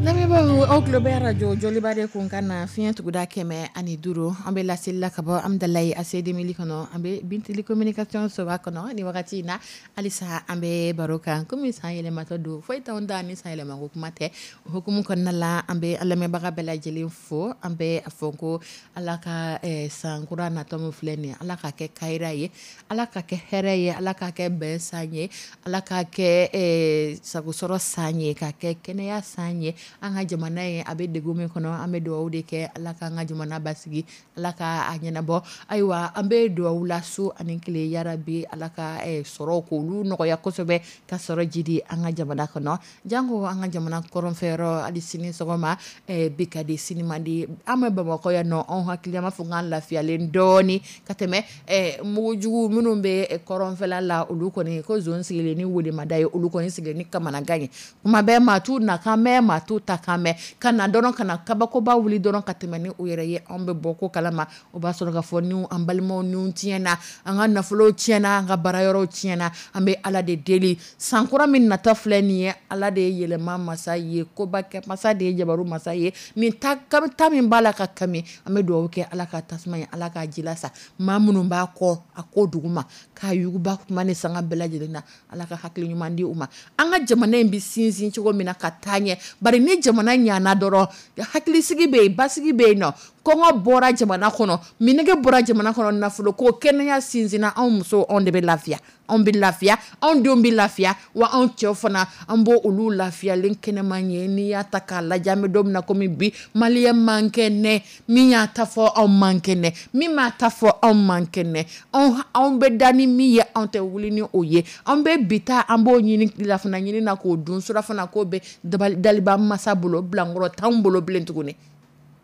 Lamɛnbaaw, aw tulo bɛ radio Joliba de kun kan na fiɲɛ tuguda kɛmɛ ani duuru. An bɛ laseli la ka bɔ Amidalayi A C Demili kɔnɔ. An bɛ Bintili communication soba kɔnɔ nin wagati in na. Halisa an bɛ baro kan komi san yɛlɛmatɔ don, foyi t'anw da ni san yɛlɛmako kuma tɛ. O hukumu kɔnɔna la, an bɛ an lamɛnbaga bɛɛ lajɛlen fo. An bɛ a fɔ ko Ala ka, eh, san kura natɔ min filɛ nin ye, Ala ka kɛ kayira ye, Ala ka kɛ hɛrɛ ye, Ala ka kɛ bɛn san ye, Ala ka kɛ, eh, sagosɔrɔ san ye, ka kɛ kɛnɛya san ye. An ka jamana ye a bɛ degun min kɔnɔ, an bɛ dugawu de kɛ Ala k'an ka jamana basigi, Ala ka a ɲɛnabɔ. Ayiwa, an bɛ dugawu la su ani tile, yarabi Ala ka, eh, sɔrɔ k'olu nɔgɔya kosɛbɛ, ka sɔrɔ jidi an ka jamana kɔnɔ. Janko an ka jamana kɔrɔnfɛyɔrɔ, hali sini sɔgɔma, eh, bi ka di sini man di. An bɛ Bamakɔ yan nɔ, anw hakili an b'a fɔ k'an lafiyalen dɔɔni ka tɛmɛ, eh, mugujugu minnu bɛ kɔrɔnfɛla la, olu kɔni ko zon sigilen ni welemada ye, olu kɔni sigilen ni kamanagan ye. Kuma bɛɛ maa t'u nakan mɛn, maa t'u ta kan mɛn, ka na dɔrɔn ka na kabakoba wuli dɔrɔn ka tɛmɛ ni u yɛrɛ ye. Anw bɛ bɔ ko kalama, o b'a sɔrɔ k'a fɔ ni an balimaw ni tiɲɛna, an ka nafolow tiɲɛna, an ka baarayɔrɔw tiɲɛna. An bɛ Ala de deli, san kura min nata filɛ nin ye, Ala de ye yɛlɛma masa ye, koba kɛ masa de ye, jabaru masa ye. Nin ta, ta min b'a la ka kami, an bɛ dugawu kɛ Ala ka tasuma ye, Ala k'a ji lasa maa minnu b'a kɔ a ko duguma, k'a yuguba kuma ni sanga bɛɛ lajɛlen na, Ala ka hakili ɲuman di u ma. An ka jamana in bɛ sinsin cogo min na ka taa ɲɛ, bari ni jamana ɲana dɔrɔn, hakilisigi bɛ yen, basigi bɛ yen nɔ. Kɔngɔ bɔra jamana kɔnɔ, minɛgɛ bɔra jamana kɔnɔ, nafolo ko, kɛnɛya sinsinna, anw musow anw de bɛ lafiya, anw bɛ lafiya, anw denw bɛ lafiya, wa anw cɛw fana an b'o olu lafiyalen kɛnɛman ye. N'i y'a ta k'a lajɛ, an bɛ don min na komi bi, maliyɛn man kɛnɛ, min y'a ta fɔ anw man kɛnɛ, min m'a ta fɔ anw man kɛnɛ, anw, anw bɛ da ni min ye, anw tɛ wuli ni o ye. Anw bɛ bi ta, an b'o ɲini tilafana ɲini na k'o dun, surafana k'o bɛ dabali, daliba masa bolo, bilankɔrɔ t'anw bolo bilen tuguni.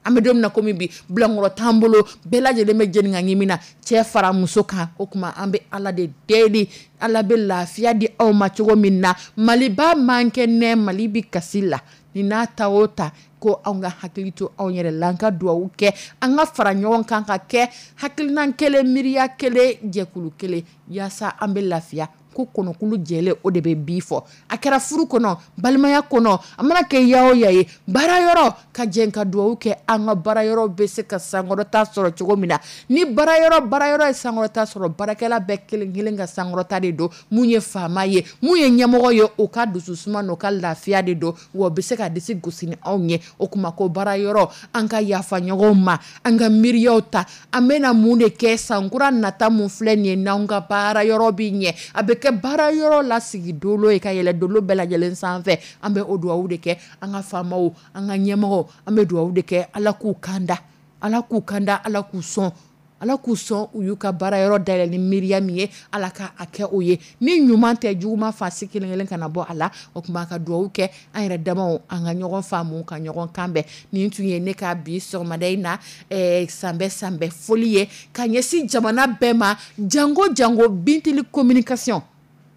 An bɛ don min na komi bi, bilankɔrɔ t'an bolo, bɛɛ lajɛlen bɛ jeni ka ɲimi na, cɛ fara muso kan. O tuma an bɛ Ala de deli, Ala bɛ lafiya di aw ma cogo min na. Maliba man kɛnɛ, Mali bi kasi la, ni n'a ta o ta ko anw ka hakili to anw yɛrɛ la, an ka dugawu kɛ, an ka fara ɲɔgɔn kan ka kɛ hakilina kelen, miiriya kelen, jɛkulu kelen, yaasa an bɛ lafiya. Ko kɔnɔkulu jɛlen o de bɛ bi fɔ. A kɛra furu kɔnɔ, balimaya kɔnɔ, a mana kɛ ya o ya ye, baara yɔrɔ, ka jɛ ka dugawu kɛ, an ka baara yɔrɔ bɛ se ka sankɔrɔta sɔrɔ cogo min na. Ni baara yɔrɔ, baara yɔrɔ ye sankɔrɔta sɔrɔ, baarakɛla bɛɛ kelen kelen ka sankɔrɔta de don. Mun ye faama ye, mun ye ɲɛmɔgɔ ye, o ka dususuma n'o ka lafiya de don, wa o bɛ se ka disi gosi ni anw ye. O kuma ko baara yɔrɔ, an ka yafa ɲɔgɔn ma, an ka miiriyaw ta, an bɛna mun de kɛ sankura nata mun filɛ nin ye, n'anw ka baara yɔrɔ bɛ ɲɛ, a bɛ kɛ baara yɔrɔ la sigi dolo ye ka yɛlɛ dolo bɛɛ lajɛlen sanfɛ. An bɛ o dugawu de kɛ an ka faamaw, an ka ɲɛmɔgɔw, an bɛ dugawu de kɛ Ala k'u kanda, Ala k'u kanda, Ala k'u sɔn, Ala k'u sɔn u y'u ka baara yɔrɔ dayɛlɛ ni miiriya min ye, Ala ka a kɛ o ye. Ni ɲuman tɛ, juguman fasi kelen kelen kana bɔ a la. O tuma ka dugawu kɛ an yɛrɛ damaw, an ka ɲɔgɔn faamu, ka ɲɔgɔn kanbɛn. Nin tun ye ne ka bi sɔgɔmada in na, eh, sanbɛ sanbɛ foli ye ka ɲɛsin jamana bɛɛ ma, jango jango Bintili communication.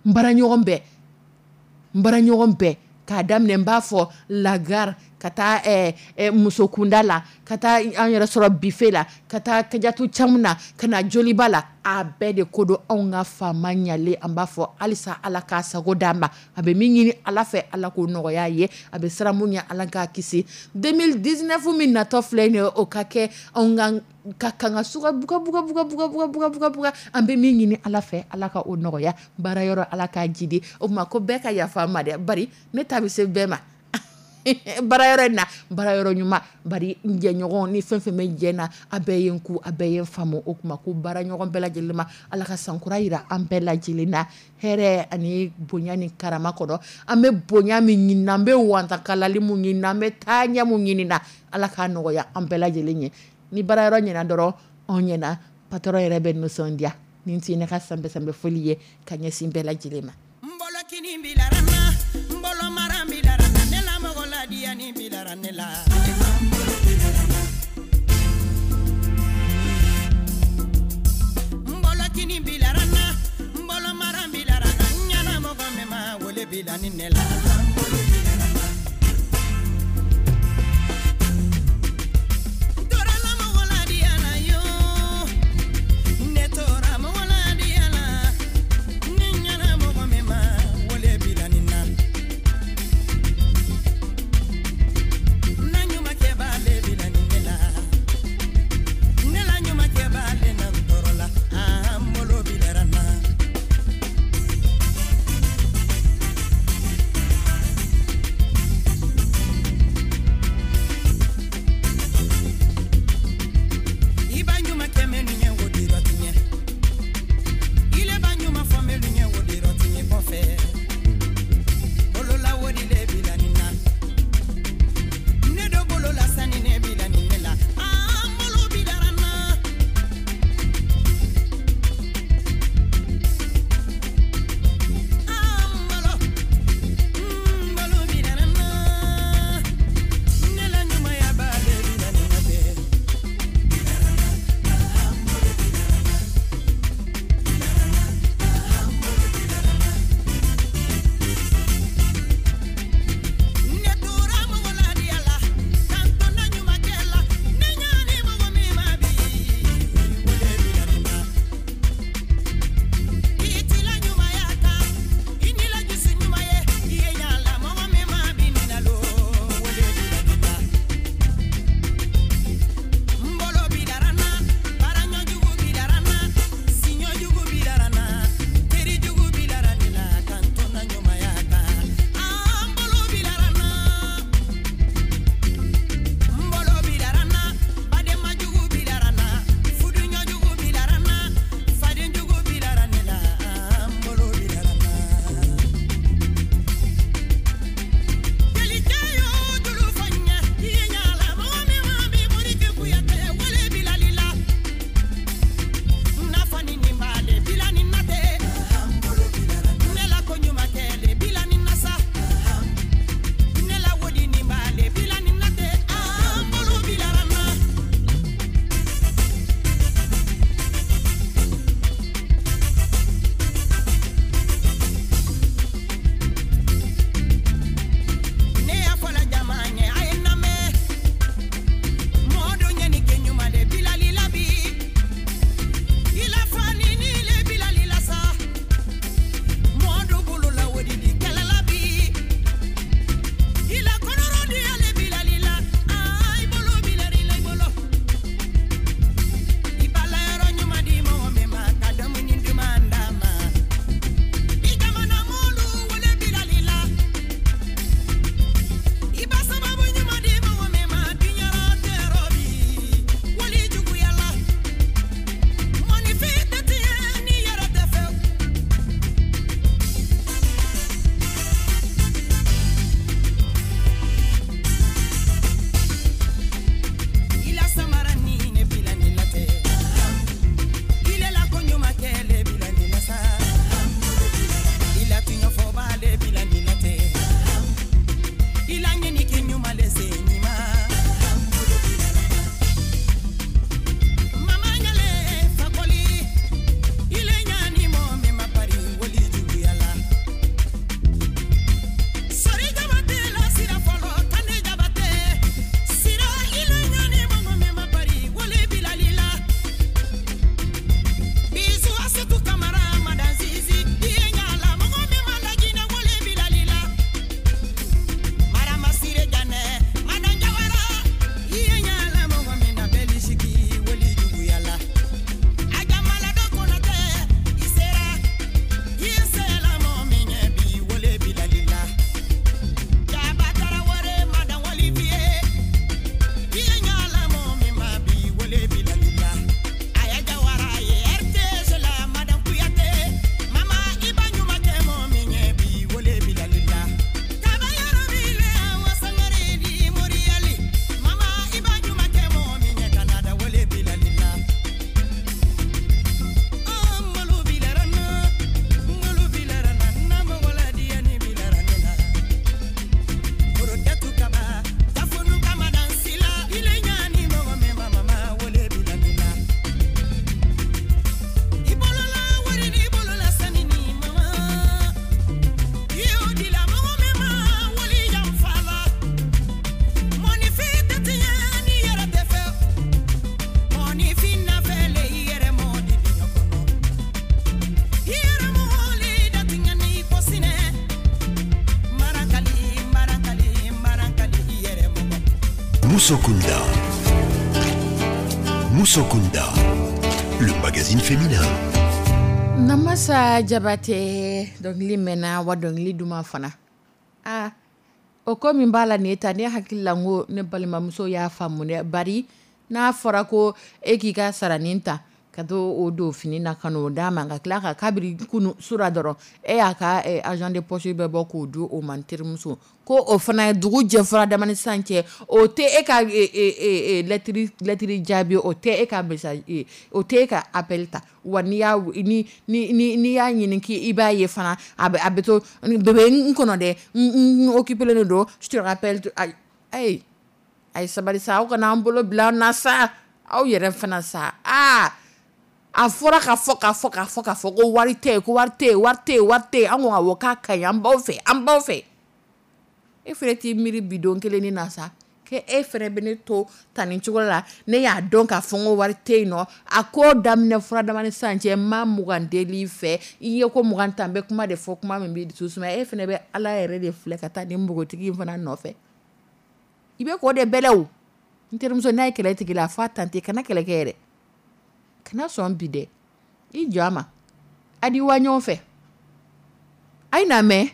N baara ɲɔgɔn bɛɛ, n baara ɲɔgɔn bɛɛ, k'a daminɛ n b'a fɔ lagare, ka taa, eh, eh, musokunda la, ka taa an yɛrɛ sɔrɔ bife la, ka taa Kajatu Camu na, ka na Joliba la, a bɛɛ de ko don anw ka faama ɲalen. An b'a fɔ halisa Ala k'a sago d'an ma, a bɛ min ɲini Ala fɛ, Ala k'o nɔgɔya ye, a bɛ siran mun ɲɛ, Ala k'a kisi. deux mille dix-neuf min natɔ filɛ nin ye, o ka kɛ anw ka ka kan ka suga buga buga buga buga buga buga buga buga. An bɛ min ɲini Ala fɛ, Ala ka o nɔgɔya, baara yɔrɔ Ala k'a jidi. O tuma ko bɛɛ ka yafa n ma dɛ, bari ne ta bɛ se bɛɛ ma. Baarayɔrɔ in na, baarayɔrɔ ɲuman, bari n jɛɲɔgɔn ni fɛn fɛn bɛ jɛ na, a bɛɛ ye n ku, a bɛɛ ye n faamu. O kuma ko baara ɲɔgɔn bɛɛ lajɛlen ma, Ala ka sankura yira an bɛɛ lajɛlen na, hɛrɛ ani bonya ni karama kɔnɔ. An bɛ bonya min ɲini na, an bɛ wantakalali mun ɲini na, an bɛ taaɲɛ mun ɲini na, Ala k'a nɔgɔya an bɛɛ lajɛlen ye. Ni baarayɔrɔ ɲɛna dɔrɔn, anw ɲɛna, patron yɛrɛ bɛ nisɔndiya. Nin tun ye ne ka sanbɛ sanbɛ foli ye ka ɲɛsin bɛɛ lajɛlen ma. N bolokini bilara n na, n bolo mara bilara n na, ne la mɔgɔ ladiyani bilara ne la. N bolokini bilara n na, n bolo mara bilara n na, n ɲɛna mɔgɔ min ma wele bila ni ne la. N tora la mɔgɔ ladiya la yo, ne tora mɔgɔ ladiya la, ni n ɲɛna mɔgɔ min ma wele bila ni na. Na ɲumankɛ b'ale bila ni ne la, ne la ɲumankɛ b'ale na n tɔɔrɔ la, aa n bolo bilara n na. Musokunda. Musokunda, le magazine féminin. Namasa Jabate, dɔnkili mɛnna wa dɔnkili duman fana. Aa, o ko min b'a la nin ye tan, ne hakili la n ko ne balimamuso y'a faamu dɛ. Bari n'a fɔra ko e k'i ka saranin ta ka to o don fini na ka n'o d'a ma, ka tila ka kabiri kunu sura dɔrɔn e y'a ka argent de poche bɛɛ bɔ k'o di o ma, n terimuso, ko o fana ye dugu jɛ fura damani sisan cɛ, o tɛ e ka lɛtiri lɛtiri jaabi, o tɛ e ka message, o tɛ e ka appel ta. Wa n'i y'a ni ni n'i y'a ɲini k'i b'a ye fana, a bɛ a bɛ to bébé n kɔnɔ dɛ, n occupé len don, je te rappelle. Ayi, a ye sabali sa, aw kana an bolo bila an na sa, aw yɛrɛ fana sa. Aa, a fɔra ka fɔ ka fɔ ka fɔ ka fɔ ko wari tɛ yen, ko wari tɛ yen, wari tɛ yen, wari tɛ yen. An ko awɔ, k'a ka ɲi, an b'aw fɛ, an b'aw fɛ. E fɛnɛ t'i miiri bidon kelen ni na sa k'e e fɛnɛ bɛ ne to tan nin cogo la. Ne y'a dɔn k'a fɔ n ko wari tɛ yen nɔ. A ko daminɛ fura damani sisan cɛ, n ma mugan deli fɛ, i ye ko mugan ta, n bɛ kuma de fɔ, kuma min b'i dusu suma. E fɛnɛ bɛ Ala yɛrɛ de filɛ ka taa nin npogotigi in fana nɔfɛ. I bɛ k'o de bɛlɛ o. N terimuso, n'a ye kɛlɛ tigi la, a fɔ a tante kana kɛlɛ kɛ yɛrɛ, kana sɔn bi dɛ, i jɔ a ma, a di wa ɲɔgɔn fɛ. A ye na mɛn,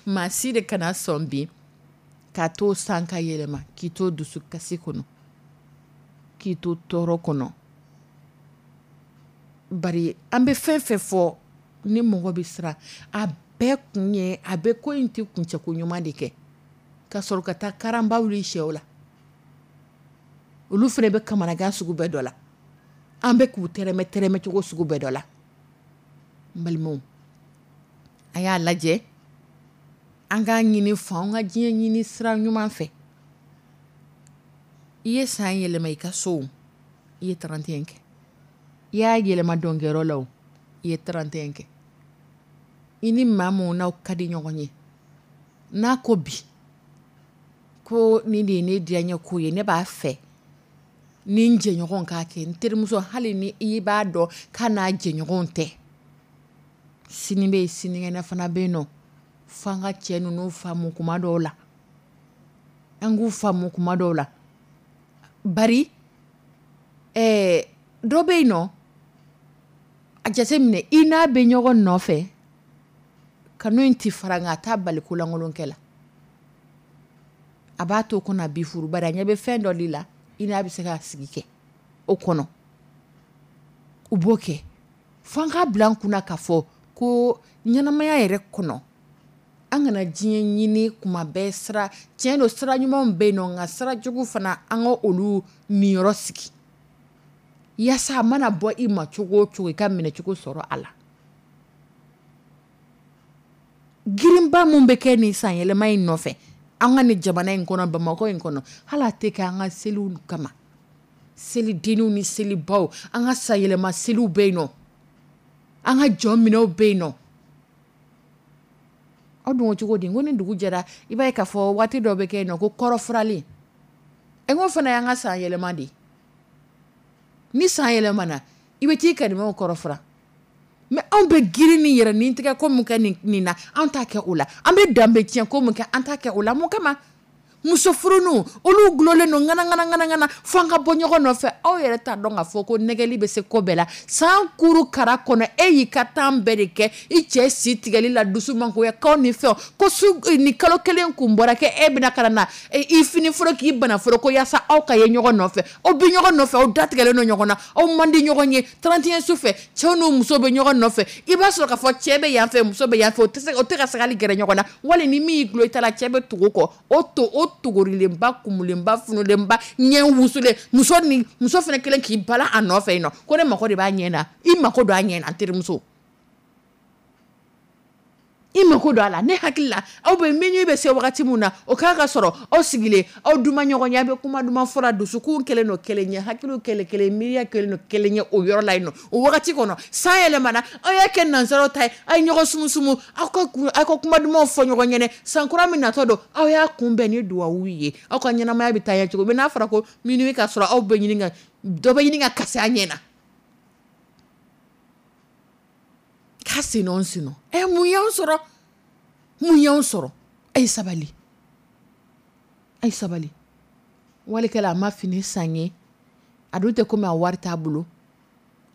maa si de kana sɔn bi k'a to san ka yɛlɛma k'i to dusukasi kɔnɔ, k'i to tɔɔrɔ kɔnɔ. Bari an bɛ fɛn fɛn fɔ ni mɔgɔ bɛ siran, a bɛɛ kun ye a bɛ ko in tɛ kuncɛko ɲuman de kɛ ka sɔrɔ ka taa karanba wuli sɛw la. Olu fana bɛ kamanagan sugu bɛɛ dɔ la, an bɛ k'u tɛrɛmɛ tɛrɛmɛ cogo sugu bɛɛ dɔ la. N balimaw, a y'a lajɛ an k'a ɲini fa, an ka diɲɛ ɲini sira ɲuman fɛ. I ye san yɛlɛma i ka so, i ye trente et un kɛ. I y'a yɛlɛma dɔnkɛyɔrɔ la o, i ye trente et un kɛ. I ni maa mun n'aw ka di ɲɔgɔn ye, n'a ko bi ko nin de ye ne diyaɲɛ ko ye, ne b'a fɛ ni n jɛɲɔgɔn k'a kɛ, n terimuso, hali ni i b'a dɔn k'a n'a jɛɲɔgɔnw tɛ, sini bɛ yen, sinikɛnɛ fana bɛ yen nɔ. F'an ka cɛ ninnu faamu kuma dɔw la, an k'u faamu kuma dɔw la. Bari ɛɛ dɔ bɛ yen nɔ, a jateminɛ i n'a bɛ ɲɔgɔn nɔfɛ, kanu in ti fara, nka a t'a bali kolankolonkɛ la. A b'a to kɔnɔ a b'i furu, bari a ɲɛ bɛ fɛn dɔ de la, i n'a bɛ se ka sigi kɛ o kɔnɔ. U b'o kɛ. F'an k'a bila an kunna k'a fɔ ko ɲɛnamaya yɛrɛ kɔnɔ, an kana diɲɛ ɲini kuma bɛɛ. Sira tiɲɛ don, sira ɲumanw bɛ yen nɔ, nka sira jugu fana, an ka olu niyɔrɔ sigi yaasa a mana bɔ i ma cogo o cogo, i ka minɛcogo sɔrɔ a la. Girinba mun bɛ kɛ nin san yɛlɛma in nɔfɛ an ka nin jamana in kɔnɔ, Bamakɔ in kɔnɔ, hali a tɛ kɛ an ka seliw kama, selidenniw ni selibaw, an ka san yɛlɛma seliw bɛ yen nɔ, an ka jɔn minɛw bɛ yen nɔ. Aw dun ko cogo di? N ko ni dugu jɛra, i b'a ye k'a fɔ waati dɔ bɛ kɛ yen nɔ ko kɔrɔfuralen. N ko fana y'an ka san yɛlɛma de ye. Ni san yɛlɛmana, i bɛ t'i karimaw kɔrɔfura. Mais anw bɛ girin ni yɛrɛ ni tigɛ ko mun kɛ nin, nin na, an t'a kɛ o la. An bɛ danbe tiɲɛ ko mun kɛ, an t'a kɛ o la. Mun kama? Muso furunu olu gulonlen don ŋana ŋana ŋana ŋana fo an ka bɔ ɲɔgɔn nɔfɛ. Aw yɛrɛ t'a dɔn k'a fɔ ko nɛgɛli bɛ se ko bɛɛ la. San kuru kara kɔnɔ, e y'i ka temps bɛɛ de kɛ i cɛ si tigɛli la, dusu mangoya kaw ni fɛnw, ko su ni kalo kelen kun bɔra kɛ e bɛna ka na i fini foro k'i bana foro ko yaasa aw ka ye ɲɔgɔn nɔfɛ. Aw bɛ ɲɔgɔn nɔfɛ, aw datigɛlen don ɲɔgɔn na, aw man di ɲɔgɔn ye. trente et un su fɛ, cɛw n'u musow bɛ ɲɔgɔn nɔfɛ. I b'a sɔrɔ k'a fɔ cɛ bɛ yan fɛ, muso bɛ yan fɛ, o tɛ se, o tɛ ka se hali gɛrɛ ɲɔgɔn na. Wali ni min y'i gulon i ta la, cɛ bɛ tugu kɔ, o to o togorilenba, kumulenba, funulenba, ɲɛ wusulen, muso ni muso fana kelen k'i bala a nɔfɛ yen nɔ, ko ne mako de b'a ɲɛ na. I mako don a ɲɛ na, n terimuso, i mako don a la. Ne hakili la, aw bɛ minuit bɛ se wagati mun na, o k'a ka sɔrɔ aw sigilen, aw duma ɲɔgɔn ye, aw bɛ kuma duman fɔra, dusukun kɛlen don kelen ye, hakiliw kɛlen kelen, miiriya kɛlen don kelen ye o yɔrɔ la yen nɔ. O wagati kɔnɔ, san yɛlɛmana, aw y'a kɛ nansaraw ta ye, aw ye ɲɔgɔn sumusumu, aw ka kun, aw ka kuma dumanw fɔ ɲɔgɔn ɲɛnɛ. San kura min natɔ don, aw y'a kunbɛn ni duwawu ye, aw ka ɲɛnamaya bɛ taa ɲɛ cogo min. N'a fɔra ko minuit ka sɔrɔ, aw bɛ ɲini ka dɔ bɛ ɲini ka kasi a ɲɛ na. K'a senɔ senɔ. Ɛ, mun y'anw sɔrɔ? Mun y'anw sɔrɔ? A ye sabali. A ye sabali. Walikɛla a ma fini san ye, a dun tɛ komi a wari t'a bolo,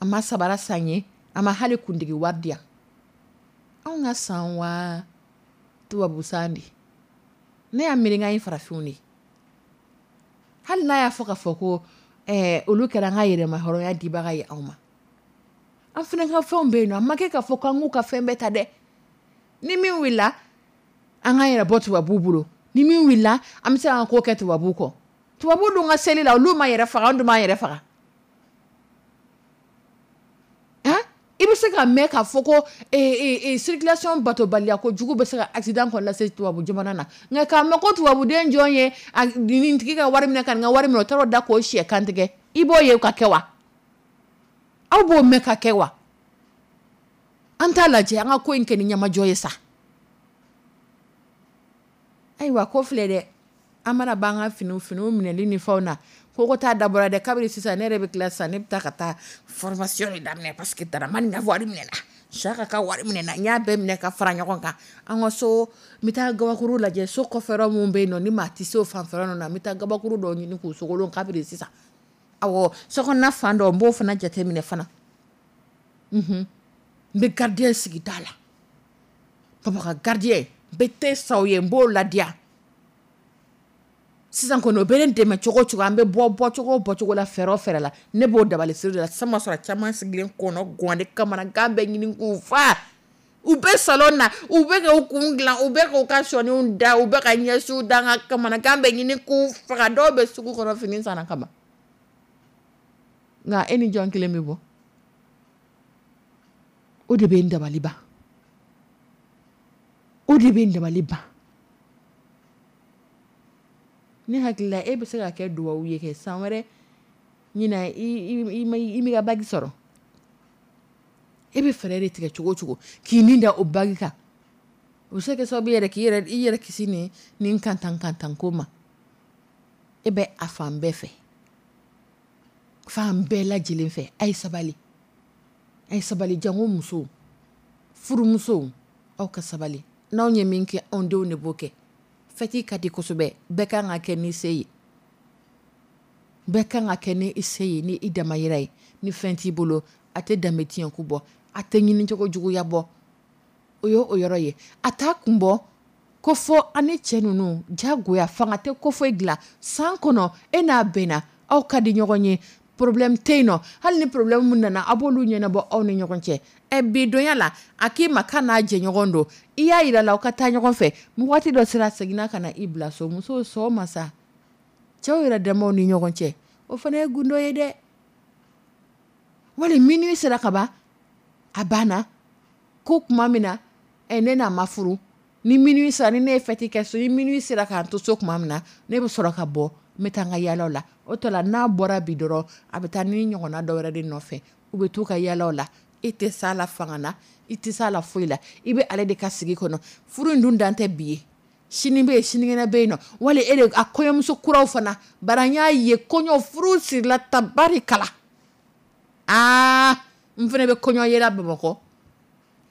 a ma sabara san ye, a ma hali kuntigi wari di yan. Anw ka san wa tubabu san de, ne y'a miiri k'an ye farafinw de ye. Hali n'a y'a fɔ k'a fɔ ko ɛɛ olu kɛra an ka yɛrɛma hɔrɔnya dibaga ye anw ma, an fana ka fɛnw bɛ yen nɔ. A ma kɛ k'a fɔ k'an k'u ka fɛn bɛɛ ta dɛ. Ni min wulila, an k'an yɛrɛ bɔ tubabuw bolo. Ni min wulila, an bɛ se k'an ko kɛ tubabuw kɔ. Tubabuw dun ka seli la, olu ma yɛrɛ faga, an dun b'an yɛrɛ faga. Han, i bɛ se ka mɛn k'a fɔ ko circulation batobaliya ko jugu bɛ se ka accident kɔni lase tubabu jamana na, nka k'a mɛn ko tubabuden jɔn ye nin tigi ka wari minɛ ka nin ka wari minɛ, o taara o da k'o sɛ kantigɛ, i b'o ye ka kɛ wa? Aw b'o mɛn ka kɛ wa? An t'a lajɛ an ka ko in kɛ ni ɲɛmajɔ ye sa. Ayiwa, ko filɛ dɛ, an mana ban ka finiw finiw minɛli ni fɛnw na, ko ko taa dabɔra dɛ. Kabini sisan ne yɛrɛ bɛ tila sisan, ne bɛ taa ka taa formation de daminɛ, parce que Daramani ka wari minɛna, Saka ka wari minɛna, n y'a bɛɛ minɛ ka fara ɲɔgɔn kan. An ka so, n bɛ taa gabakuru lajɛ, so kɔfɛ yɔrɔ min bɛ yen nɔ, ni maa tɛ se o fanfɛla ninnu na, n bɛ taa gabakuru dɔw ɲini k'u sogolon kabini sisan. Awɔ, sokɔnɔna fan dɔ, n b'o fana jateminɛ fana. N bɛ gardien sigi da la, papa ka gardien, n bɛ te san o ye, n b'o ladiya. Sisan kɔni, o bɛ ne dɛmɛ cogo o cogo, an bɛ bɔ bɔcogo o bɔcogo la, fɛɛrɛ o fɛɛrɛ la, ne b'o dabali siri de la. Sisan ma sɔrɔ caman sigilen kɔnɔ gan ne kamanagan bɛ ɲini k'u fa. U bɛ salon na, u bɛ k'u kun dilan, u bɛ k'u ka sɔniw da, u bɛ ka ɲɛsiw da, n ka kamanagan bɛ ɲini k'u faga. Dɔw bɛ sugu kɔnɔ fini sanna kama, nka e ni jɔn kelen bɛ bɔ? O de bɛ n dabali ban, o de bɛ n dabali ban. Ne hakili la, e bɛ se ka kɛ duwawu ye kɛ san wɛrɛ ɲina i m'i ka bagi sɔrɔ. E bɛ fɛɛrɛ de tigɛ cogo o cogo k'i ni da o bagi kan, o bɛ se ka kɛ sababu yɛrɛ k'i yɛrɛ i yɛrɛ kisi nin nin kantan kantan ko ma. E bɛ a fan bɛɛ fɛ, fan bɛɛ lajɛlen fɛ. A ye sabali, a ye sabali. Jango musow, furumusow, aw ka sabali. N'anw ye min kɛ, anw denw de b'o kɛ. Fɛti ka di kosɛbɛ, bɛɛ kan ka kɛ ni se ye, bɛɛ kan ka kɛ ni i se ye, ni i damayira ye. Ni fɛn t'i bolo, a tɛ danbe tiɲɛ ko bɔ, a tɛ ɲinicogo juguya bɔ. O ye o yɔrɔ ye. A t'a kun bɔ ko fɔ an ni cɛ ninnu jagoya fanga tɛ ko foyi dilan san kɔnɔ. E n'a bɛnna, aw ka di ɲɔgɔn ye, problème tɛ yen nɔ. Hali ni problème min nana, a b'olu ɲɛnabɔ aw ni ɲɔgɔn cɛ. Ɛ, bi donya la, a k'i ma k'a n'a jɛɲɔgɔn don, i y'a yira la aw ka taa ɲɔgɔn fɛ. Waati dɔ sera, a seginna ka na i bila so. Musow sɔn ma sa, cɛw yɛrɛ damaw ni ɲɔgɔn cɛ, o fana ye gundo ye dɛ. Wali minuit sera ka ban, a banna ko tuma min na, ɛ, ne n'a ma furu, ni minuit sera, ni ne ye fɛti kɛ so, ni minuit sera k'an to so tuma min na, ne bɛ sɔrɔ ka bɔ, n bɛ taa n ka yaalaw la. O tɔ la, n'a bɔra bi dɔrɔn, a bɛ taa ni ɲɔgɔnna dɔ wɛrɛ de nɔfɛ, u bɛ t'u ka yaalaw la. E tɛ s'a la fanga na, i tɛ s'a la foyi la, i bɛ ale de ka sigi kɔnɔ. Furu in dun dan tɛ bi ye, sini bɛ yen, sinikɛnɛ bɛ yen nɔ. Wali e de a kɔɲɔmuso kuraw fana, bari an y'a ye kɔɲɔ furu sirila tabarikala. Aa, n fana bɛ kɔɲɔ yela Bamakɔ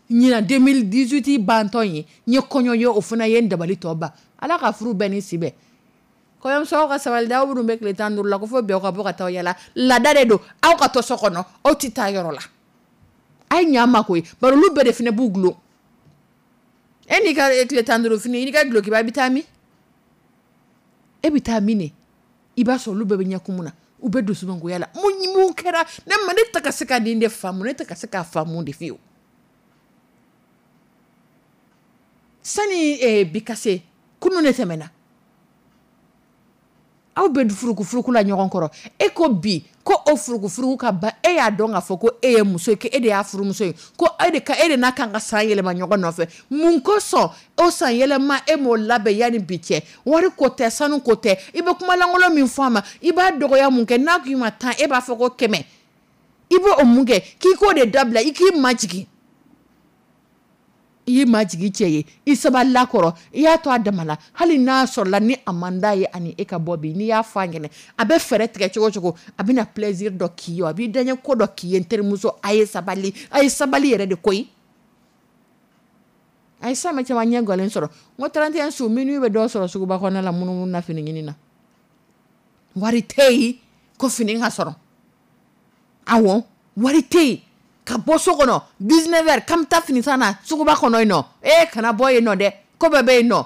ɲinan deux mille dix-huit bantɔ ye, n ye kɔɲɔ ye, o fana ye n dabali tɔ ban. Ala ka furu bɛɛ ni si bɛn. Kɔɲɔmuso ka sabali dɛ, aw minnu bɛ tile tan duuru la, ko fo bi aw ka bɔ ka taa yala, laada de don. Aw ka to so kɔnɔ, aw tɛ taa yɔrɔ la, a ye ɲɛ ma koyi, bari olu bɛɛ de fana b'u gulon. E n'i ka tile tan duuru fini, i n'i ka dulokiba, i bɛ taa min? E bɛ taa min de? I b'a sɔrɔ olu bɛɛ bɛ ɲɛkumu na, u bɛ dusumangoya la. Mun mun kɛra? Ne ma, ne tɛ ka se ka nin de faamu, ne tɛ ka se k'a faamu de fiyewu. Sani eh, bi ka se, kunun de tɛmɛna, aw bɛ furuku la ɲɔgɔn kɔrɔ. E ko bi ko o furukufuruku ka ban, e y'a dɔn k'a fɔ ko e ye muso ye, ko e de y'a furumuso ye, ko e de ka e de n'a kan ka san yɛlɛma ɲɔgɔn nɔfɛ. Mun kosɔn o san yɛlɛma e m'o labɛn yanni bi cɛ? Wari ko tɛ, sanu ko tɛ. I bɛ kumalankolon min fɔ a ma, i b'a dɔgɔya mun kɛ? N'a k'i ma tan, e b'a fɔ ko kɛmɛ. I b'o mun kɛ k'i k'o de dabila, i k'i majigin? I y'i majigin cɛ ye, i sabalila kɔrɔ, i y'a to a dama la. Hali n'a sɔrɔla ni a man d'a ye ani e ka bɔ bi, n'i y'a fɔ a ɲɛna, a bɛ fɛɛrɛ tigɛ cogo cogo, a bɛna plaisir dɔ k'i ye, a b'i daɲɛ ko dɔ k'i ye. N terimuso, a ye sabali, a ye sabali yɛrɛ de koyi. A ye san bɛ caman ɲɛ galen sɔrɔ. N ko trente et un su, minuit bɛ dɔw sɔrɔ suguba kɔnɔna la, munumunu na, fini ɲini na. Wari tɛ yen ko fini ka sɔrɔ. Awɔ, wari tɛ yen ka bɔ so kɔnɔ dix-neuf heures k'an bɛ taa fini san na suguba kɔnɔ yen nɔ. Ee, kana bɔ yen nɔ dɛ, ko bɛɛ bɛ yen nɔ.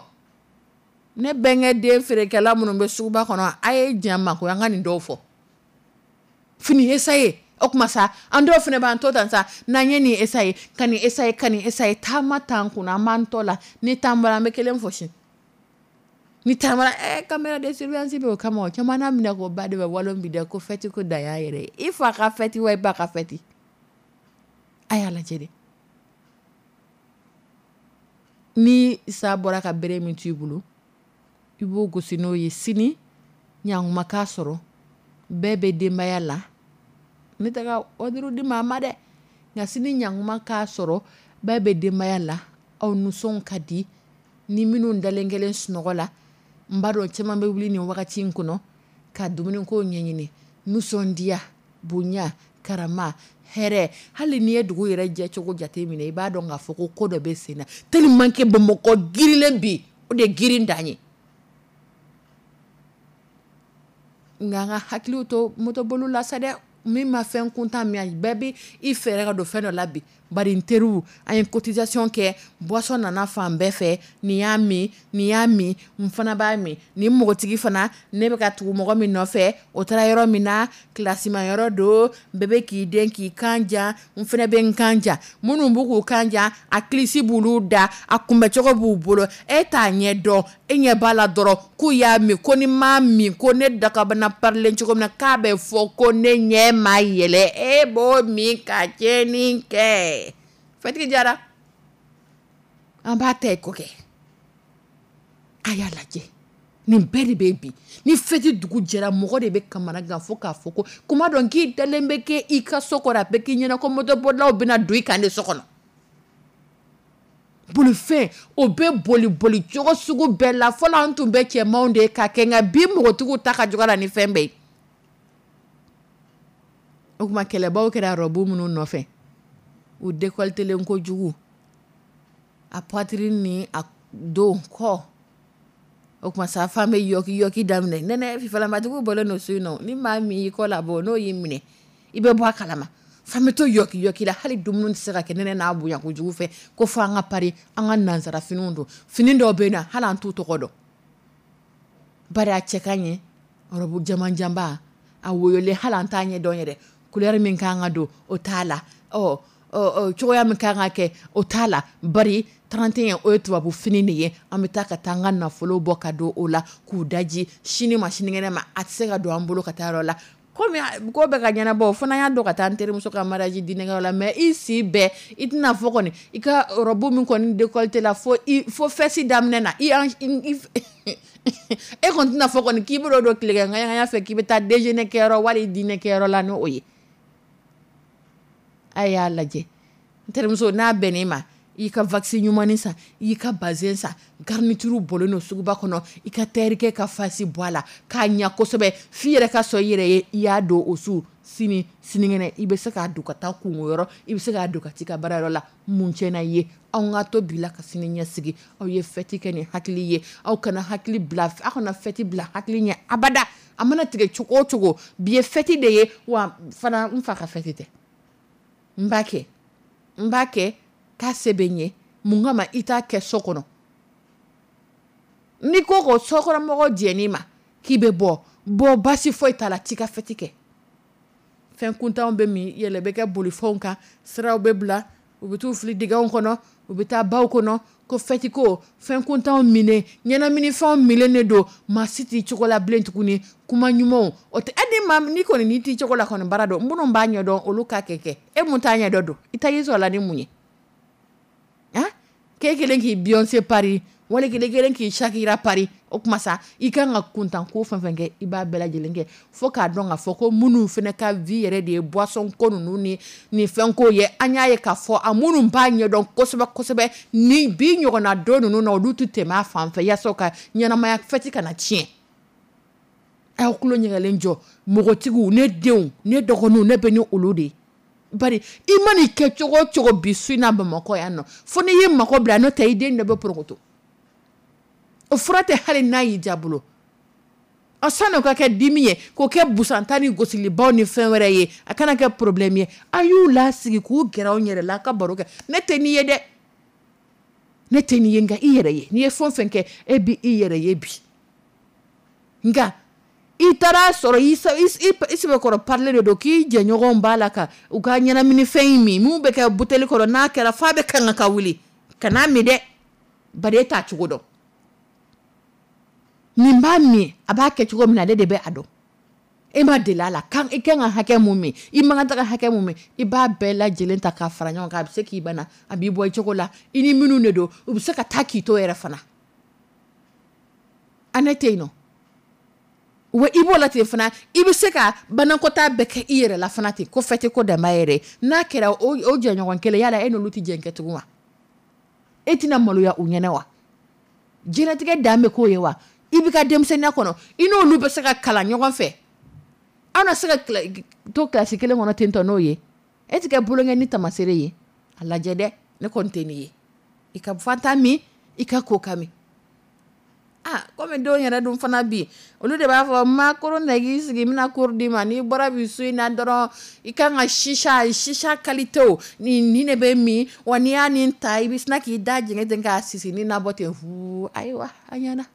Ne bɛnkɛ den feerekɛla minnu bɛ suguba kɔnɔ, a ye diɲɛ ma ko an ka nin dɔw fɔ. Fini essayer, o tuma sa, an dɔw fana b'an to tan sa. N'an ye nin essayer, ka nin essayer, ka nin essayer, taama t'an kunna, an b'an tɔ la. Ni t'an bɔra, an bɛ kelen fosi. Ni taamara, eh, caméra de surveillance bɛ o kama. O caman n'a minɛ k'o ba de bɛ walon bi dɛ, ko fête ko dan y'a yɛrɛ ye. I fa ka fête wa, i ba ka fête, a y'a lajɛ dɛ. Ni sa bɔra ka bere min to i bolo, i b'o gosi n'o ye. Sini ɲankuma k'a sɔrɔ bɛɛ bɛ denbaya la. Ne tɛ ka ordre di maa ma dɛ, nka sini ɲankuma k'a sɔrɔ bɛɛ bɛ denbaya la, aw nisɔn ka di. Ni minnu dalen kelen sunɔgɔ la, n b'a dɔn caman bɛ wuli nin wagati in kɔnɔ ka dumuniko ɲɛɲini. Nisɔndiya, bonya, karama, hɛrɛ. Hali n'i ye dugu yɛrɛ jɛcogo jate minɛ, i b'a dɔn k'a fɔ ko ko dɔ bɛ sen na, tellement que Bamakɔ girilen bi, o de ye girin dan ye. Nka an ka hakiliw to motoboliw la sa dɛ. Min ma fɛn kuntan min, bɛɛ bɛ i fɛɛrɛ ka don fɛn dɔ la bi. Bari n teriw, an ye cotisation kɛ, boisson nana fan bɛɛ fɛ. Nin y'a min, nin y'a min, n fana b'a min. Nin npogotigi fana, ne bɛ ka tugu mɔgɔ min nɔfɛ, o taara yɔrɔ min na, kilasima yɔrɔ don, bɛɛ bɛ k'i den k'i kan jan, n fana bɛ n kan jan. Minnu b'u k'u kan jan, a kilisi b'olu da, a kunbɛcogo b'u bolo. E t'a ɲɛ dɔn, e ɲɛ b'a la dɔrɔn k'u y'a min, ko ni m'a min, ko ne dakabana parilen cogo min na, k'a bɛ fɔ ko ne ɲɛ ma yɛlɛ. E b'o min ka tiɲɛni kɛ. Fɛtigi jara, an b'a ta ko kɛ. A y'a lajɛ, nin bɛɛ de bɛ bi. Ni fɛti dugu jɛra, mɔgɔ de bɛ kamana gan fo k'a fɔ ko kuma dɔn k'i dalen bɛ kɛ i ka so kɔrɔ, a bɛ k'i ɲɛna ko motobolilaw bɛna don i kan de so kɔnɔ. Bolifɛn o bɛ boli boli cogo sugu bɛɛ la. Fɔlɔ an tun bɛ cɛmanw de ye ka kɛ, nka bi npogotigiw ta ka jugu la ni fɛn bɛɛ ye. O tuma kɛlɛbaw kɛra robe minnu nɔfɛ, u décolletelen kojugu, a poitrine ni a dos kɔ. O tuma sa, fan bɛ yɔki yɔki daminɛ. Nɛnɛ fifalamatigiw bɔlen don so in nɔ. Ni maa min y'i kɔ labɔ, n'o y'i minɛ, i bɛ bɔ a kalama. Fan bɛ to yɔki yɔki la, hali dumuni tɛ se ka kɛ nɛnɛ n'a bonya kojugu fɛ, ko fo an ka pari an ka nansara finiw don. Fini dɔw bɛ yen nɔ, hali an t'u tɔgɔ dɔn, bari a cɛ ka ɲɛ. Robe jamanjanba, a woyolen, hali an t'a ɲɛ dɔn yɛrɛ. Couleur min kan ka don, o t'a la. Ɔ cogoya min kan ka kɛ, o t'a la. Bari trente et un, o ye tubabu fini de ye. An bɛ taa ka taa an ka nafolo bɔ ka don o la k'u daji. Sini ma sinikɛnɛ ma, a tɛ se ka don an bolo ka taa yɔrɔ la. Komi ko bɛ ka ɲɛnabɔ, o fana y'a dɔn ka taa n terimuso ka mariage dîner la. Mais i si bɛɛ, i tɛna fɔ kɔni i ka robe min kɔni décolleté la fo i fo fesse daminɛ na, i e kɔni tɛna fɔ kɔni k'i bɛ don tilekɛ ŋaɲa fɛ k'i bɛ taa déjeuner kɛyɔrɔ wali dîner kɛyɔrɔ la n'o ye. A y'a lajɛ, n terimuso, n'a bɛnn'i ma, i ka wax ɲumannin san, i ka bazin san, garniture bɔlen don suguba kɔnɔ, i ka tailleur ka fasi bɔ a la k'a ɲa kosɛbɛ, f'i yɛrɛ ka sɔn i yɛrɛ ye i y'a don o su. Sini sinikɛnɛ, i bɛ se k'a don ka taa kungo yɔrɔ, i bɛ se k'a don ka t'i ka baarayɔrɔ la. Mun tiɲɛna i ye? Anw ka to bi la ka sini ɲɛsigi. Aw ye fɛti kɛ ni hakili ye. Aw kana hakili bila, aw kana fɛti bila hakili ɲɛ abada. A mana tigɛ cogo o cogo, bi ye fɛti de ye. Wa fana, n fa ka fɛti tɛ, n b'a kɛ, n b'a kɛ k'a se bɛ n ye. Mun kama i t'a kɛ so kɔnɔ? N'i ko ko sokɔnɔmɔgɔ jɛn'i ma k'i bɛ bɔ, bɔ, basi foyi t'a la. T'i ka fɛti kɛ. Fɛn kuntanw bɛ min, yɛlɛ bɛ kɛ bolifɛnw kan, siraw bɛ bila, u bɛ t'u fili dingɛw kɔnɔ, u bɛ taa baw kɔnɔ, ko fɛti ko fɛn kuntanw minen, ɲɛnaminifɛnw minnen de don. Maa si t'i cogo la bilen tuguni. Kuma ɲumanw o tɛ. E ni maa n'i kɔni n'i t'i cogo la kɔni, baara dɔn minnu b'a ɲɛdɔn, olu k'a kɛ kɛ. E mun t'a ɲɛdɔn don, i ta y'i sɔrɔ la ni mun ye? Han, k'e kelen k'i Beyoncé pari, wali kelen kelen k'i Shakira pari. O kuma sa, i kan ka kuntan ko fɛn fɛn kɛ, i b'a bɛɛ lajɛlen kɛ, fo k'a dɔn k'a fɔ ko minnu fana ka vie yɛrɛ de ye boisson ko ninnu ni ni fɛn ko ye. An y'a ye k'a fɔ a minnu b'a ɲɛdɔn kosɛbɛ kosɛbɛ, ni bi ɲɔgɔnna don ninnu na, olu tɛ tɛmɛ a fan fɛ, yaasa ka ɲɛnamaya fɛti kana tiɲɛ. Aw tulo ɲɛgɛlen jɔ, mɔgɔtigiw, ne denw, ne dɔgɔninw, ne bɛ ni olu de ye. Bari i man'i kɛ cogo o cogo bi su in na Bamakɔ yan nɔ, fo n'i y'i mako bila, n'o tɛ i den dɔ bɛ porokoto. O fura tɛ hali n'a y'i ja bolo. Ɔ, sani o ka kɛ dimi ye, k'o kɛ busanta ni gosilibaw ni fɛn wɛrɛ ye, a kana kɛ problème ye, a y'u lasigi k'u gɛrɛ aw yɛrɛ la, a ka baro kɛ. Ne tɛ n'i ye dɛ, ne tɛ n'i ye, nka i yɛrɛ ye. N'i ye fɛn o fɛn kɛ, e b'i yɛrɛ ye bi. Nka i taara sɔrɔ i sɛbɛkɔrɔ parilen de don k'i jɛɲɔgɔnw b'a la ka u ka ɲɛnaminifɛn in min, min bɛ kɛ buteli kɔnɔ, n'a kɛra f'a bɛ kan ka wuli ka n'a min dɛ, bari e t'a cogo dɔn. Nin b'a min, a b'a kɛ cogo min na, ale de bɛ a dɔn. E ma deli a la, kan i kan ka hakɛ mun min, i man kan ka hakɛ mun min, i b'a bɛɛ lajɛlen ta k'a fara ɲɔgɔn kan. A bɛ se k'i bana, a b'i bɔ i cogo la, i ni minnu de don, u bɛ se ka taa k'i to yɛrɛ fana. A ne tɛ yen nɔ. Wa i b'o la ten fana, i bɛ se ka banakɔtaa bɛɛ kɛ i yɛrɛ la fana ten, ko fɛte ko danba yɛrɛ. N'a kɛra o o jɛɲɔgɔn kelen, yala e n'olu tɛ jɛn kɛ tugun wa? E tɛna maloya u ɲɛna wa? Diɲɛlatigɛ dan bɛ k'o ye wa? I b'i ka denmisɛnninya kɔnɔ, i n'olu bɛ se ka kalan ɲɔgɔn fɛ. Aw na se ka to kilasi kelen kɔnɔ ten tɔ n'o ye. E tɛ kɛ bolonkɛ ni tamasere ye. A lajɛ dɛ, ne kɔni tɛ nin ye. I ka fanta min, i ka koka min. Ah, komi denw yɛrɛ dun fana bi, olu de b'a fɔ ma koron na k'i sigi, n bɛna koro d'i ma. N'i bɔra bi su in na dɔrɔn, i kan ka sisa sisa qualité o nin nin de bɛ min wa, n'i y'a nin ta, i bɛ sina k'i da jɛngɛ ten k'a sisi ni nabɔ ten fu. Ayiwa, a ɲɛna.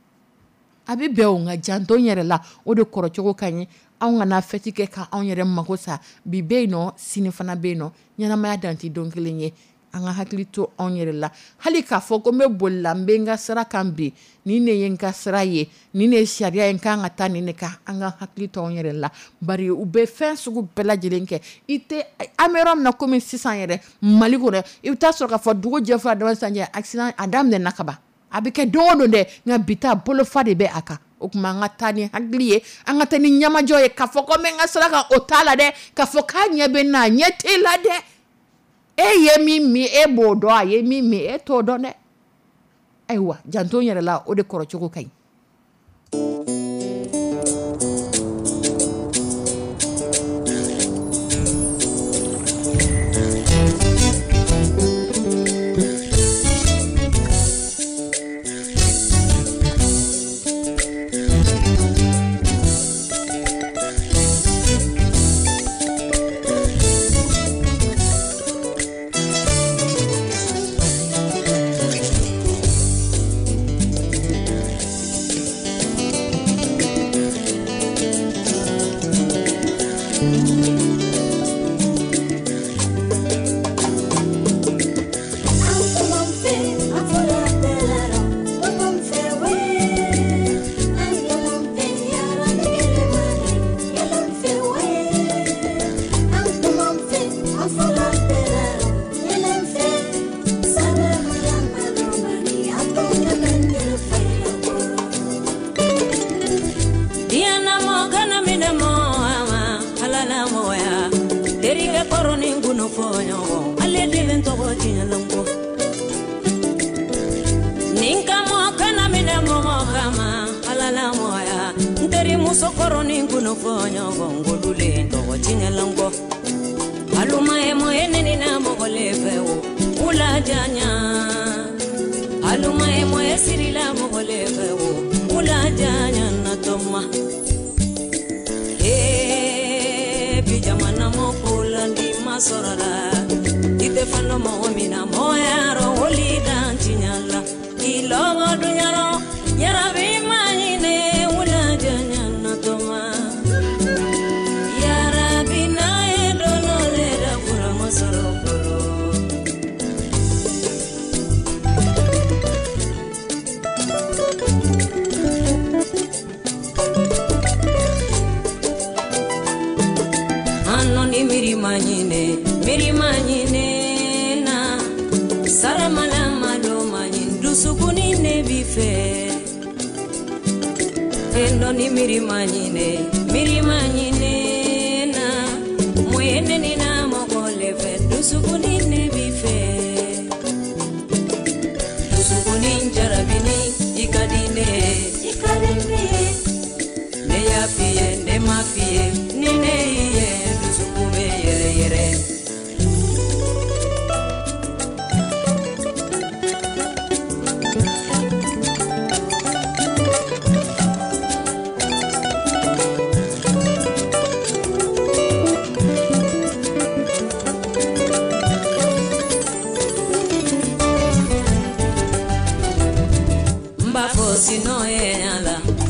A bɛ bɛn o, nka janto n yɛrɛ la, o de kɔrɔcogo ka ɲi. Anw kana fɛti kɛ ka anw yɛrɛ mako sa. Bi bɛ yen nɔ, sini fana bɛ yen nɔ. Ɲɛnamaya dan tɛ don kelen ye. An ka hakili to anw yɛrɛ la. Hali k'a fɔ ko n bɛ boli la, n bɛ n ka sira kan bi, nin de ye n ka sira ye, nin de ye sariya ye, n kan ka taa nin de kan. An ka hakili to anw yɛrɛ la, bari u bɛ fɛn sugu bɛɛ lajɛlen kɛ. I tɛ an bɛ yɔrɔ min na komi sisan yɛrɛ Mali kɔnɔ, i bɛ taa sɔrɔ k'a fɔ dugu jɛ fo a dama sisan cɛ, accident a daminɛna ka ban. A bɛ kɛ don o don dɛ, nka bi ta bolofa de bɛ a kan. O tuma an ka taa ni hakili ye, an ka taa ni ɲɛmajɔ ye, k'a fɔ ko n bɛ n ka sira kan, o t'a la dɛ. K'a fɔ k'a ɲɛ bɛ n na, a ɲɛ t'e la dɛ. E ye min min, e b'o dɔn, a ye min min, e t'o dɔn dɛ. Ayiwa, janto n yɛrɛ la, o de kɔrɔcogo ka ɲi.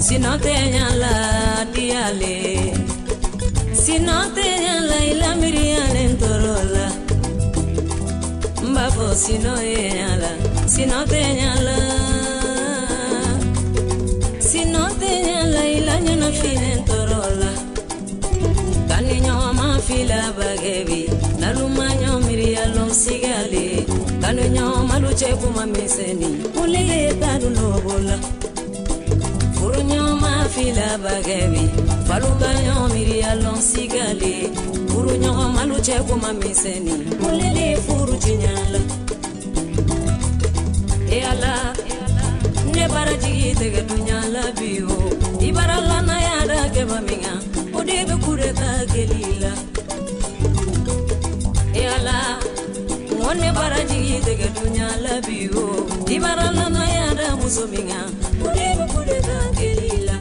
Sinɔ tɛ ɲala diyale, sinɔ tɛ ɲala i lamiriyalen tɔɔrɔ la. N b'a fɔ sinɔ ye ɲala, sinɔ tɛ ɲala, sinɔ tɛ ɲala i la ɲɛnafinen tɔɔrɔ la. Kani ɲɔgɔn ma fila bagɛ bi, naluma ɲɔ miiriya lɔn sigale, kani ɲɔgɔn malu cɛ kuma misɛnni, wuli ye tadu lobo la. Furu ɲɔgɔn ma fila bagɛ bi, falu ka ɲɔ miiriya lɔn sigale, furu ɲɔgɔn malu cɛ kuma misɛnni, wuli de furu tiɲɛ la. E Ala, ne bara jigi tɛgɛ dunya la bi o, i bara lanaya da kɛba min kan, o de bɛ kudeta kɛli la. E Ala, n ko ne bara jigi tɛgɛ dunya la bi o, i bara lanaya da muso min kan, o de bɛ kudeta kɛli la.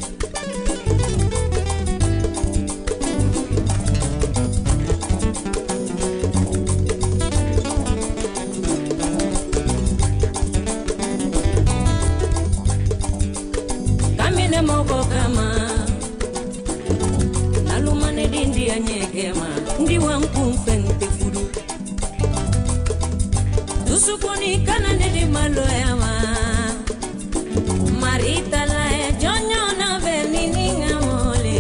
Kamine mɔgɔ kama naluma ne dindiya ɲɛgɛma ndi wa n kun fɛn tɛ furu dusukuni kana ne di maloya ma marita la ye jɔnjɔn na bɛ ni ni ŋa mɔle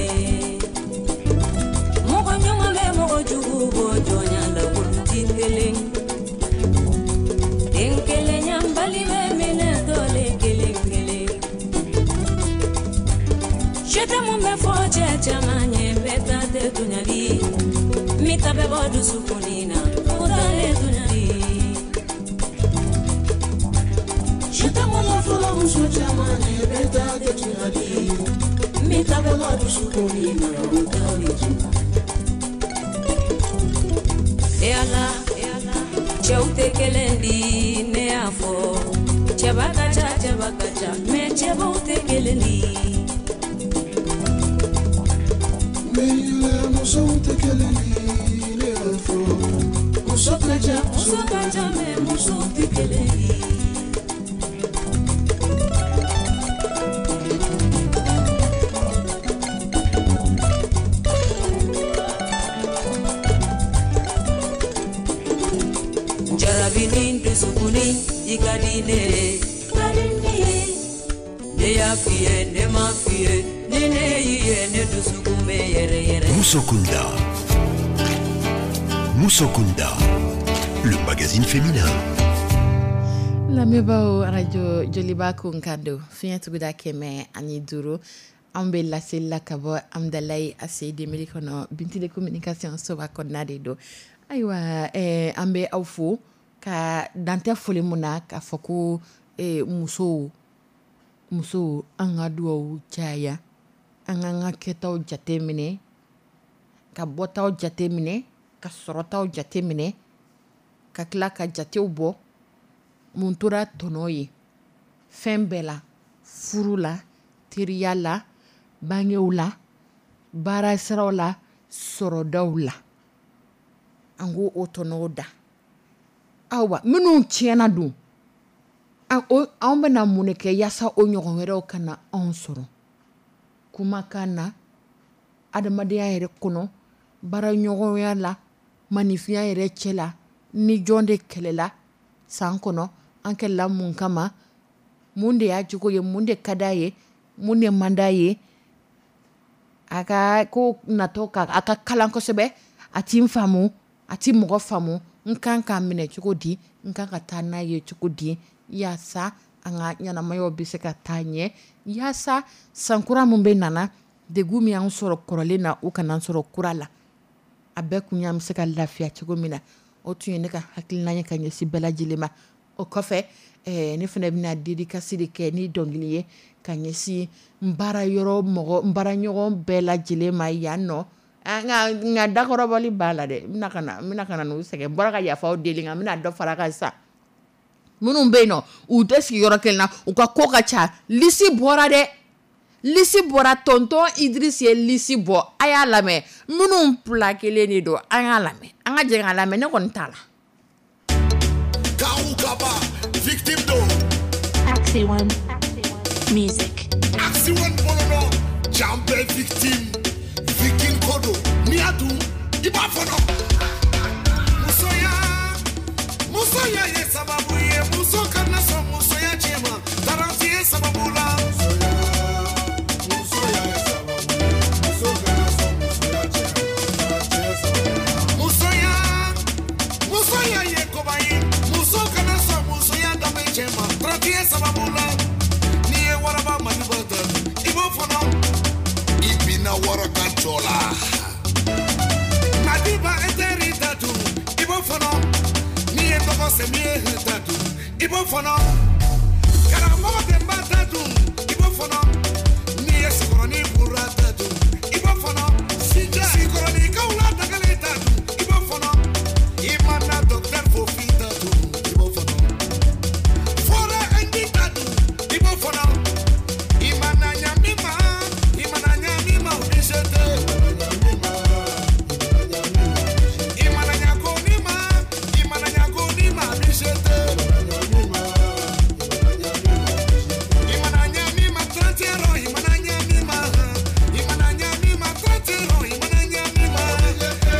mɔgɔ ɲuman bɛ mɔgɔ jugu bɔ jɔnya la olu ti kelen den kelen ɲanbali bɛ minɛ tɔle kelen kelen sɛtɛ mun bɛ fɔ cɛ caman ye bɛɛ ta tɛ tɔɲɔli min ta bɛ bɔ dusukuni na o ta le tɔɲɔli. Sɛtɛ mun bɛ fɔlɔ muso caman ye bɛɛ ta tɛ tɔɲɔli min ta bɛ bɔ dusukuni na o ta le tɔɲɔli. E Ala, cɛw tɛ kelen di ne y'a fɔ cɛba ka ca cɛba ka ca mɛ cɛbaw tɛ kelen di. Mɛyɛlɛ musow tɛ kelen ye ne y'a fɔ muso ka ca muso ka ca mɛ musow tɛ kelen di. Jarabini dusukuni i ka di ne ye ka di ne ye ne y'a f'i ye ne ma f'i ye ni ne y'i ye ne dusukun bɛ yɛrɛ yɛrɛ. Musokunda. Musokunda, le magazine féminin. Lamɛnbaaw, arajo Joliba kunkan don fiɲɛ tuguda kɛmɛ ani duuru. An bɛ laseli la ka bɔ Amudalayi A C I Demili kɔnɔ, Bintile communication soba kɔnɔna de don. Ayiwa, eh, an bɛ aw fo ka dantɛ foli mun na k'a fɔ ko eh, musow musow an ka duwawu caya, an k'an ka kɛtaw jate minɛ, ka bɔtaw jate minɛ, ka sɔrɔtaw jate minɛ, ka tila ka jatew bɔ mun tora tɔnɔ ye fɛn bɛɛ la, furu la, teriya la, bangew la, baara siraw la, sɔrɔdaw la, an k'o o tɔnɔw da. Awa, minnu tiɲɛna dun, anw bɛna mun de kɛ yaasa o ɲɔgɔn wɛrɛw kana anw sɔrɔ kumakan na, adamadenya yɛrɛ kɔnɔ, baaraɲɔgɔnya la, maninfinya yɛrɛ cɛ la? Ni jɔn de kɛlɛla san kɔnɔ, an kɛlɛla mun kama? Mun de y'a jogo ye? Mun de ka d'a ye? Mun de man d'a ye? A ka ko natɔ ka a ka kalan kosɛbɛ, a ti n faamu, a ti mɔgɔ faamu, n kan k'a minɛ cogo di? N kan ka taa n'a ye cogo di yaasa an ka ɲɛnamayaw bɛ se ka taa ɲɛ, yaasa sankura min bɛ nana, degun min y'an sɔrɔ kɔrɔlen na, o kana sɔrɔ kura la? A bɛɛ kun y'an bɛ se ka lafiya cogo min na. O tun ye ne ka hakilina ye ka ɲɛsin bɛɛ lajɛlen ma. O kɔfɛ, eh, ne fana bɛna dédicace de kɛ ni dɔnkili ye ka ɲɛsin n baara yɔrɔ mɔgɔ, n baaraɲɔgɔn bɛɛ lajɛlen ma yan nɔ. Nka nka dakɔrɔbɔli b'a la dɛ. N bɛna ka na n bɛna ka na n'u sɛgɛn. N bɔra ka yafaw deli, nka n bɛna dɔ fara a kan sisan. Minnu bɛ yen nɔ, u tɛ sigi yɔrɔ kelen na, u ka ko ka ca. Liste bɔra dɛ, liste bɔra. Tonton Idriss ye liste bɔ, a y'a lamɛn. Minnu plaquelen de don, an y'a lamɛn, an ka jɛ k'a lamɛn. Ne kɔni t'a la. Kaou Kaba, victime d'eau. Axi One Music. Axi One Polono. Can bɛɛ victime victime ko don n'i y'a dun i b'a fɔnɔ. Musoya, musoya ye sababu ye muso kana sɔn musoya tiɲɛ ma taranti ye sababu la. Musoya ye sababu ye muso kana sɔn musoya tiɲɛ ma taranti ye sababu la. Musoya, musoya ye koba ye muso kana sɔn musoya danbe tiɲɛ ma taranti ye sababu la. N'i ye waraba maliba ta i b'o fɔnɔ i binna wara ka jɔ la. Madiba e teri ta dun i b'o fɔnɔ n'i ye dɔgɔ sɛmi ye ta dun i b'o fɔnɔ karamɔgɔ denba ta dun i b'o fɔnɔ n'i ye sikɔrɔni bura ta dun i b'o fɔnɔ sikɔrɔnikaw la dagale ta dun i b'o fɔnɔ i mana docteur Fofi ta dun i b'o fɔnɔ fɔra ɛndi ta dun i b'o fɔnɔ i mana ɲami ma i mana ɲami ma o bi se tɛ. I mana ɲago ni ma i mana ɲago ni ma a bi se tɛ. I mana ɲami ma trente rɔ i mana ɲami ma i mana ɲami ma trente rɔ i mana ɲami ma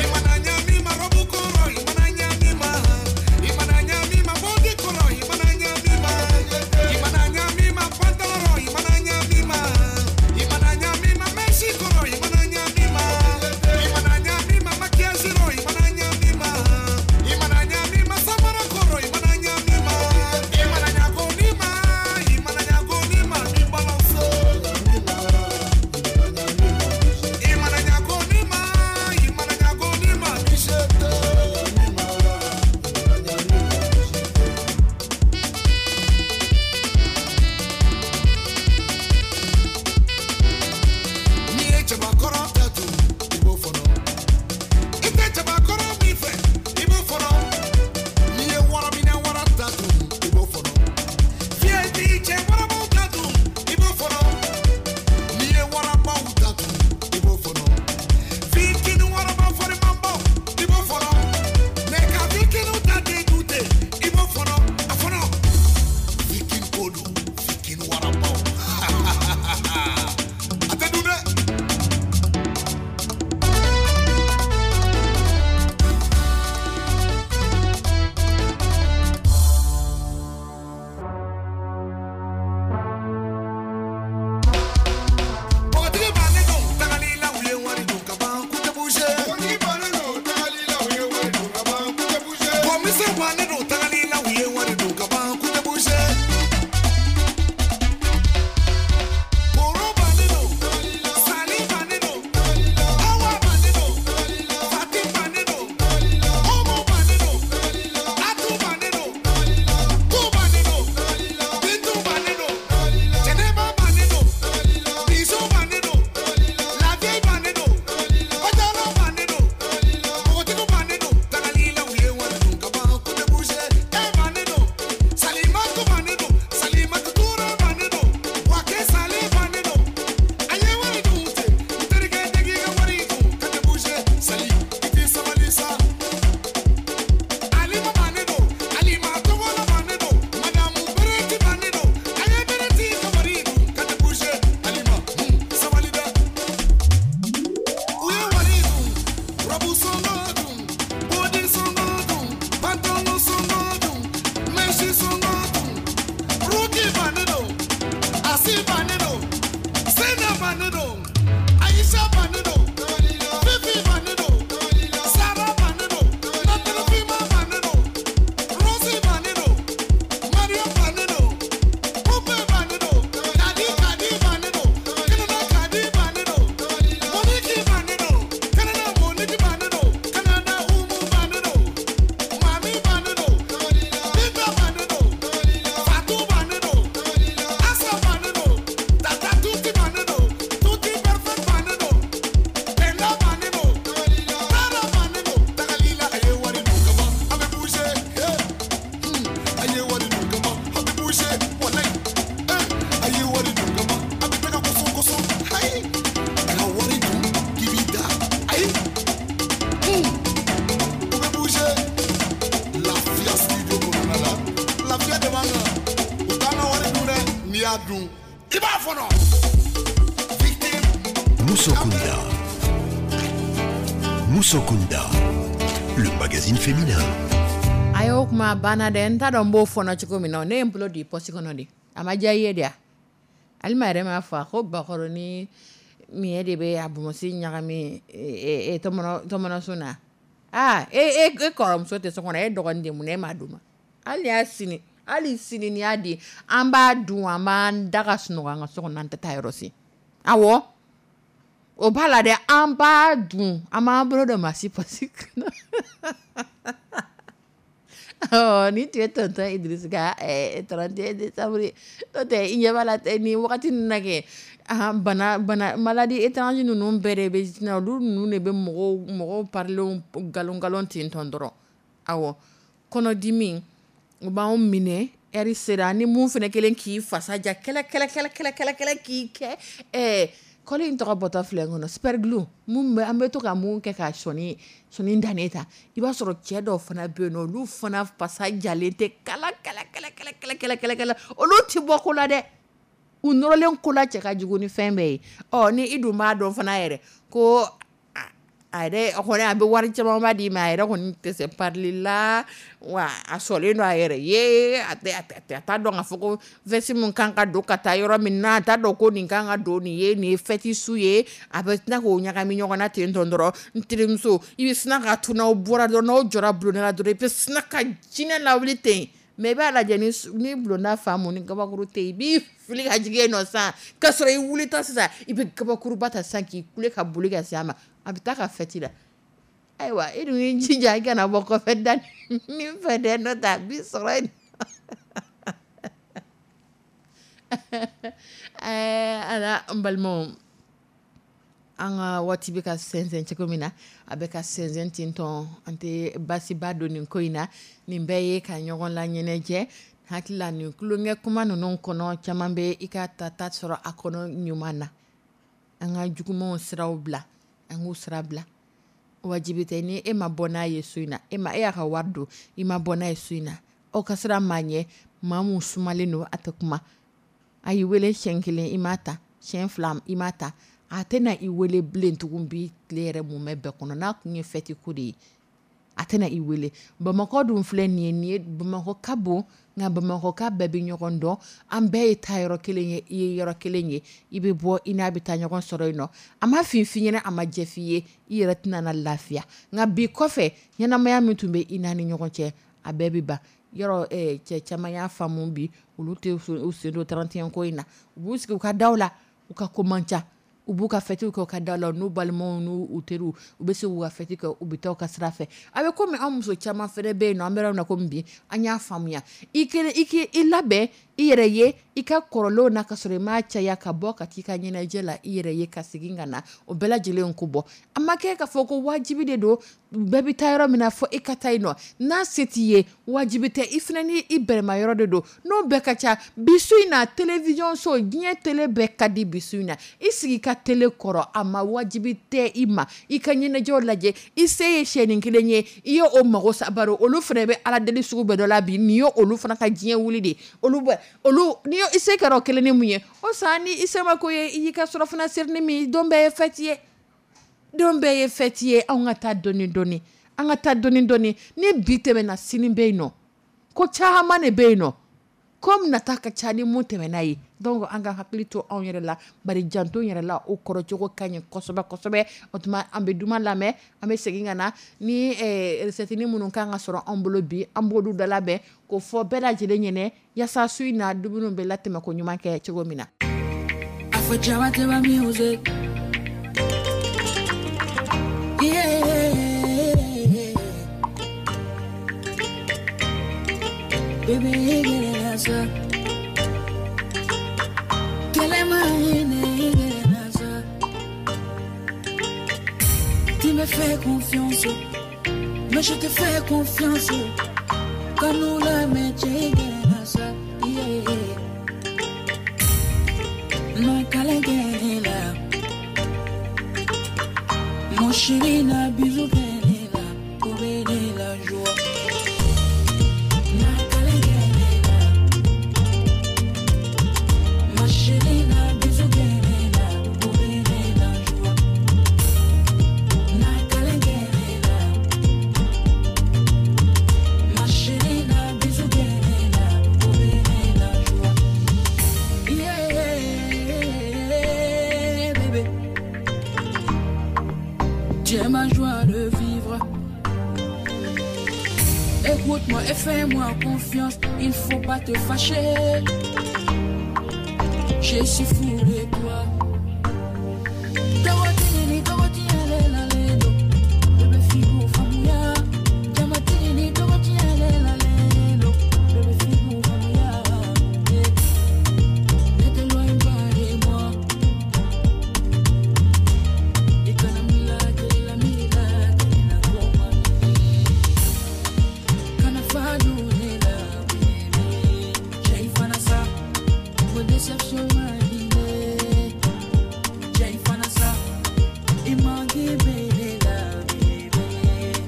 i mana ɲami ma robe kɔrɔ i mana ɲami ma i mana ɲami ma body kɔrɔ i mana ɲami ma i mana ɲami ma pantalon rɔ i mana ɲami ma i mana ɲami ma mèche kɔrɔ i mana ɲami ma i mana ɲami ma maquillage rɔ i mana ɲami ma i mana ɲami ma samara kɔrɔ i mana ɲami ma i mana ɲago ni ma i mana ɲago ni ma bi balance i mana ɲago ni ma i mana ɲago ni ma bi se tɛ. N'i ye cɛbakɔrɔ ta dun i b'o fɔnɔ i tɛ cɛbakɔrɔ min fɛ i b'o fɔnɔ n'i ye waraminɛ wara ta dun i b'o fɔnɔ fiyɛ t'i cɛ warabaw ta dun i b'o fɔnɔ n'i ye warabaw ta dun i b'o fɔnɔ fitinin waraba farimanbaw i b'o fɔnɔ mɛ ka fitinin ta den dun ten i b'o fɔnɔ a fɔnɔ fitinin ko don fitinin warabaw a tɛ dun dɛ. Npogotigi bannen don tagali la u ye wari dun ka ban k'u tɛ bouger. Npogotigi bannen don tagali la u ye wari dun ka ban k'u tɛ bouger. Bɔnmisɛn bannen don tagali la u ye wari dun ka ban k'u tɛ bouger. Koro bannen don, Sali bannen don, Awa bannen don, Fati bannen don, Omo bannen don, Atu bannen don, Tu bannen don, Bintu bannen don, Jɛnɛba bannen don, Biso bannen don, Lavieille bannen don, Bajalo bannen don, Npogotigiw bannen don, tagali la u ye wari dun ka ban k'u tɛ bouger. E bannen don, Salimatu bannen don, Salimatu Ture bannen don, Wake Sale bannen don. A ye wari dun ten, n terikɛ degi ka wari dun ka tɛ bouger. Sali, i tɛ sabali sa. Alima bannen don, Alima Togola bannen don, Madamu Bereti bannen don, a ye Bereti ka wari dun ka tɛ bouger. Alima, hun, sabali dɛ. U ye wari dun, robe sɔngɔ dun, body sɔngɔ dun, pantalon sɔngɔ dun, mèche sɔngɔ dun. Ruki bannen don, Asi bannen don, Sena bannen don, Aisha bannen don, Fifi bannen don, Sara bannen don, Natalifima bannen don, Rosie bannen don, Mariam bannen don, Pupe bannen don, Kadi Kadi bannen don, Canada Kadi bannen don, Monique bannen don, Canada Monique bannen don, Canada Umu bannen don, Mami bannen don, Binta bannen don, Fatou bannen don, Asa bannen don, Tata Tuti bannen don, Tuti Musokunda. Musokunda, le magazine féminin. A y'o kuma banna dɛ. N t'a dɔn n b'o fɔnɔ cogo min na. Ne ye n bolo di pɔsi kɔnɔ de, a ma diya i ye de ya. Alima yɛrɛ m'a fɔ a ko bakɔrɔ ni miɲɛ de bɛ a bonbonsi ɲagami tɔmɔnɔ na. Aa, e e e kɔrɔmuso tɛ so kɔnɔ, e dɔgɔnin de, mun na e m'a d'u ma? Hali y'a sini, hali sini n'i y'a di, an b'a dun, an b'an da ka sunɔgɔ an ka so kɔnɔ, an tɛ taa yɔrɔ si. Awɔ, o b'a la dɛ, an b'a dun, an b'an bolo don maa si pɔsi kɔnɔ. Ɔ, ni tun ye tonton Idrisi ka trente et un décembre, n'o tɛ i ɲɛ b'a la nin wagati ninnu na kɛ, bana bana maladie étrange ninnu bɛɛ de bɛ na, olu ninnu de bɛ mɔgɔw mɔgɔw parilenw galon galon ten tɔn dɔrɔn. Awɔ, kɔnɔdimi o b'anw minɛ, ɛri sera ni mun fana kelen k'i fasa ja kɛlɛ kɛlɛ kɛlɛ kɛlɛ kɛlɛ kɛlɛ k'i kɛ ɛɛ kɔli in tɔgɔ bɔtɔ filɛ n kɔnɔ, super glue mun bɛ an bɛ to ka mun kɛ ka sɔni sɔni dannen ta. I b'a sɔrɔ cɛ dɔw fana bɛ yen nɔ, olu fana fasa jalen tɛ kala kala kala kala kala kala kala kala, olu ti bɔ ko la dɛ, u nɔrɔlen ko la cɛ ka jugu ni fɛn bɛɛ ye. Ɔ, ni i dun b'a dɔn fana yɛrɛ ko a yɛrɛ kɔni a bɛ wari camanba d'i ma, a yɛrɛ kɔni tɛ se parili la wa, a sɔrɔlen don a yɛrɛ ye, a tɛ a t'a dɔn k'a fɔ ko veste min kan ka don ka taa yɔrɔ min na, a t'a dɔn ko nin kan ka don, nin ye nin ye fête su ye, a bɛ tila k'o ɲagami ɲɔgɔn na ten tɔn dɔrɔn. N terimuso, i bɛ sina ka to, n'aw bɔra dɔrɔn, n'aw jɔra bulonda la dɔrɔn, i bɛ sina ka jinɛ lawuli ten. Mɛ i b'a lajɛ ni ni bulonda faamu ni kabakuru tɛ yen, i b'i fili ka jigin yen nɔ sisan, k'a sɔrɔ i wulitɔ sisan, i bɛ kabakuruba ta sisan k'i kule ka boli ka se a ma, a bɛ taa ka fête la. Ayiwa, e dun y'i jija i kana bɔ kɔfɛ da min fɛ dɛ, n'o tɛ a b'i sɔrɔ yen. Ɛɛ ala, n balimaw, an ka waati bɛ ka sɛnsɛn cogo min na, a bɛ ka sɛnsɛn ten tɔn, an tɛ baasiba don nin ko in na. Nin bɛɛ ye ka ɲɔgɔn la ɲɛnajɛ. Hakili la, nin tulonkɛ kuma ninnu kɔnɔ, caman bɛ i ka ta ta sɔrɔ a kɔnɔ ɲuman na. An ka jugumanw siraw bila, an k'u sira bila. Wajibi tɛ ni e ma bɔ n'a ye so in na, e ma e y'a ka wari don, i ma bɔ n'a ye so in na, aw ka sira maa ɲɛ, maa mun sumalen don, a tɛ kuma, a y'i wele siɲɛ kelen, i m'a ta, siɲɛ fila, i m'a ta, a tɛna i wele bilen tugun. Bi tile yɛrɛ mun bɛ bɛɛ kɔnɔ, n'a kun ye fête ko de ye, a tɛna i wele. Bamakɔ dun filɛ nin ye, nin ye Bamakɔ ka bon, nka Bamakɔ ka bɛɛ bɛ ɲɔgɔn dɔn, an bɛɛ ye taa yɔrɔ kelen ye, i ye yɔrɔ kelen ye, i bɛ bɔ i n'a bɛ taa ɲɔgɔn sɔrɔ yen nɔ, a ma fin f'i ɲɛna, a ma jɛ f'i ye, i yɛrɛ tɛna na lafiya. Nka bi kɔfɛ, ɲɛnamaya min tun bɛ i n'a ni ɲɔgɔn cɛ, a bɛɛ bɛ ban yɔrɔ. Cɛ caman y'a faamu bi, olu tɛ u sen don trente et un ko in na, u b'u sigi u ka daw la, u ka ko man ca, u b'u ka fêtew kɛ u ka da la, n'u balimaw n'u teriw, u bɛ se k'u ka fête kɛ, u bɛ taa u ka sira fɛ. A bɛ komi an muso caman fɛnɛ bɛ yen nɔ, an bɛ yɔrɔ min na komi bi, an y'a faamuya, i kelen i k'i i labɛn i yɛrɛ ye i ka kɔrɔlenw na, ka sɔrɔ i m'a caya ka bɔ ka t'i ka ɲɛnajɛ la i yɛrɛ ye, ka segin ka na, o bɛɛ lajɛlen ko bɔ. A ma kɛ k'a fɔ ko wajibi de don, bɛɛ bɛ taa yɔrɔ min na fɔ e ka taa yen nɔ. N'a se t'i ye, wajibi tɛ, i fana ni i bɛrɛma yɔrɔ de don, n'o bɛɛ ka ca. Bi su in na, télévision so, diɲɛ télé bɛɛ ka di bi su in na, i sigi ka télé kɔrɔ, a ma wajibi tɛ i ma i ka ɲɛnajɛw lajɛ. I se ye siyɛnni kelen ye, i ye o mago sa, bari olu fana bɛ ala deli sugu bɛɛ dɔ la bi, nin ye olu fana ka diɲɛ wuli de, olu bɛ olu ni i se kɛra o kelen ni mun ye, o san ni i se ma ko ye, i y'i ka surafana seri ni min, don bɛɛ ye fête ye, don bɛɛ ye fête ye. Anw ka taa dɔɔni dɔɔni, an ka taa dɔɔni dɔɔni, ni bi tɛmɛna, sini bɛ yen nɔ, ko caman de bɛ yen nɔ, ko nata ka ca ni mun tɛmɛna ye. Donc an ka hakili to anw yɛrɛ la, bari janto yɛrɛ la, o kɔrɔcogo ka ɲi kosɛbɛ kosɛbɛ. O tuma an bɛ duman lamɛn, an bɛ segin ka na ni recette minnu kan ka sɔrɔ an bolo bi, an b'olu da labɛn k'o fɔ bɛɛ lajɛlen ɲɛnɛ, yaasa su in na dumuniw bɛ latɛmɛ ko ɲuman kɛ cogo min na. Music. Yeah. Baby, you get it, answer. Tu me fais confiance, mais je te fais confiance. Quand nous la mettons, yeah. Mon chéri n'a bisou la, la joie. Ma chérie n'a bisou la, la joie. Tu es ma joie de vivre. Écoute-moi et fais-moi confiance, il faut pas te fâcher. Je suis fou de toi. Togotini, togoti ale la lendo. Bébé figu famuya. Jamatini, togoti ale la lendo. Bébé figu famuya. Eh. Ne t'éloigne pas de moi. Ikana mila, kelela mila, kelela koma. Kana fadu nela, baby. Jai fanasa, go déception madine. Jai fanasa, imangi belela, baby.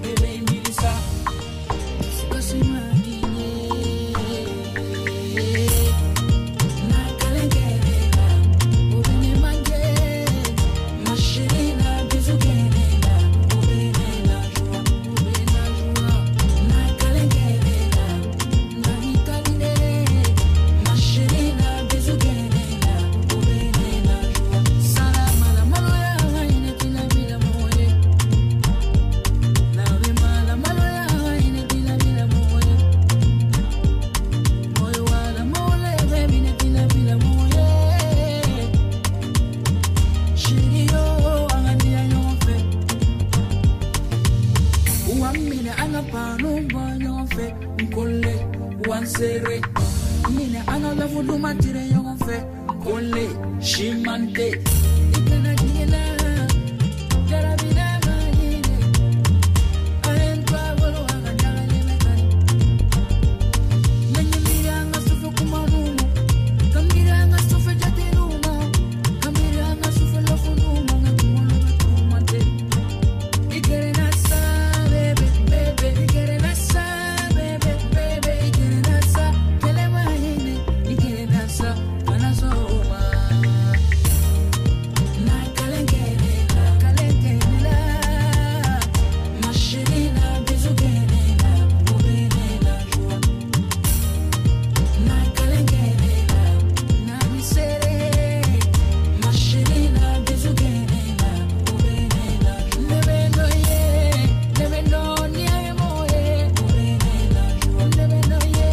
Bébé milisa, kasi madine. Na kalengelela, obene manje. Ma chérie, na bisou kelela, obene la joie, obene la joie. Na kalengelela, na italine. Ma chérie, na bisou kelela, obene la joie. Salama la maloya, ine tina bila moye. Na bema la maloya, ine tina bila moye. Moyo wala mole, baby, ne tina bila moye. Chérie, yo, an ka diya ɲɔgɔn fɛ. Wa minɛ an ka panu bɔ ɲɔgɔn fɛ. N kole, wa n sere. Minɛ an ka lafu duman tire ɲɔgɔn fɛ. N kole, simante. I kana jigin n na, jarabi n'a ma ɲinɛ. A ye n to a bolo, a ka dagalen bɛ kari. Ne ɲɛ miiri an ka sufɛ kumaninw ma. Ka miiri an ka sufɛ jateninw ma. Ka miiri an ka sufɛ lɔfuniw ma. N ka kunkolo bɛ tourmenter. I gɛrɛ na sa, bébé, bébé. I gɛrɛ na sa, bébé, bébé. I gɛrɛ na sa, kɛlɛ ma hinɛ. I gɛrɛ na sa, kana sɔn o ma. Na kalengelela, kalengelela. Ma chérie, na bisou kelela, obene la joie. Na kalengelela, na misere. Ma chérie, na bisou kelela, obene la joie. Ne bendo ye, ne bendo ni aye moye, obene la joie. Ne bendo ye,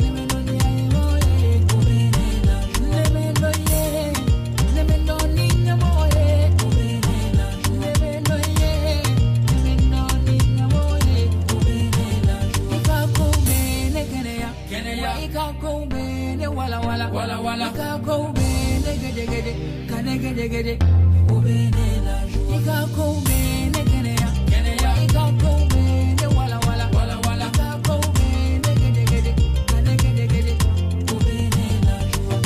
ne bendo ni aye moye, obene la joie. Ne bendo ye, ne bendo ni nyamoye, obene la joie. Ne bendo ye, ne bendo ni nyamoye, obene la joie. Ika ko bene keneya, keneya. Ika ko bene wala wala, wala wala. Ika ko bene gede gede, kane gede gede, obene la joie. Ika ko bene keneya, keneya. Ika ko bene wala wala, wala wala. Ika ko bene gede gede, kane gede gede, obene la joie.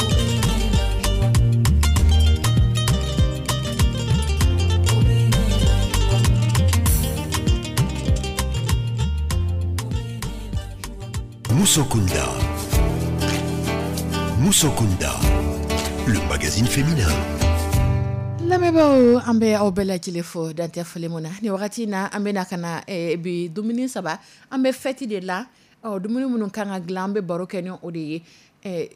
Obene la joie. Obene la joie. Musokunda. Musokunda, le magazine féminin. Lamɛnbaaw, an bɛ aw bɛɛ lajɛlen fo dantɛ foli mun na nin wagati in na. An bɛna ka na eh, bi dumuni saba, an bɛ fɛti de la. Ɔ, dumuni minnu kan ka dilan, an bɛ baro kɛ ni o de ye. Eh,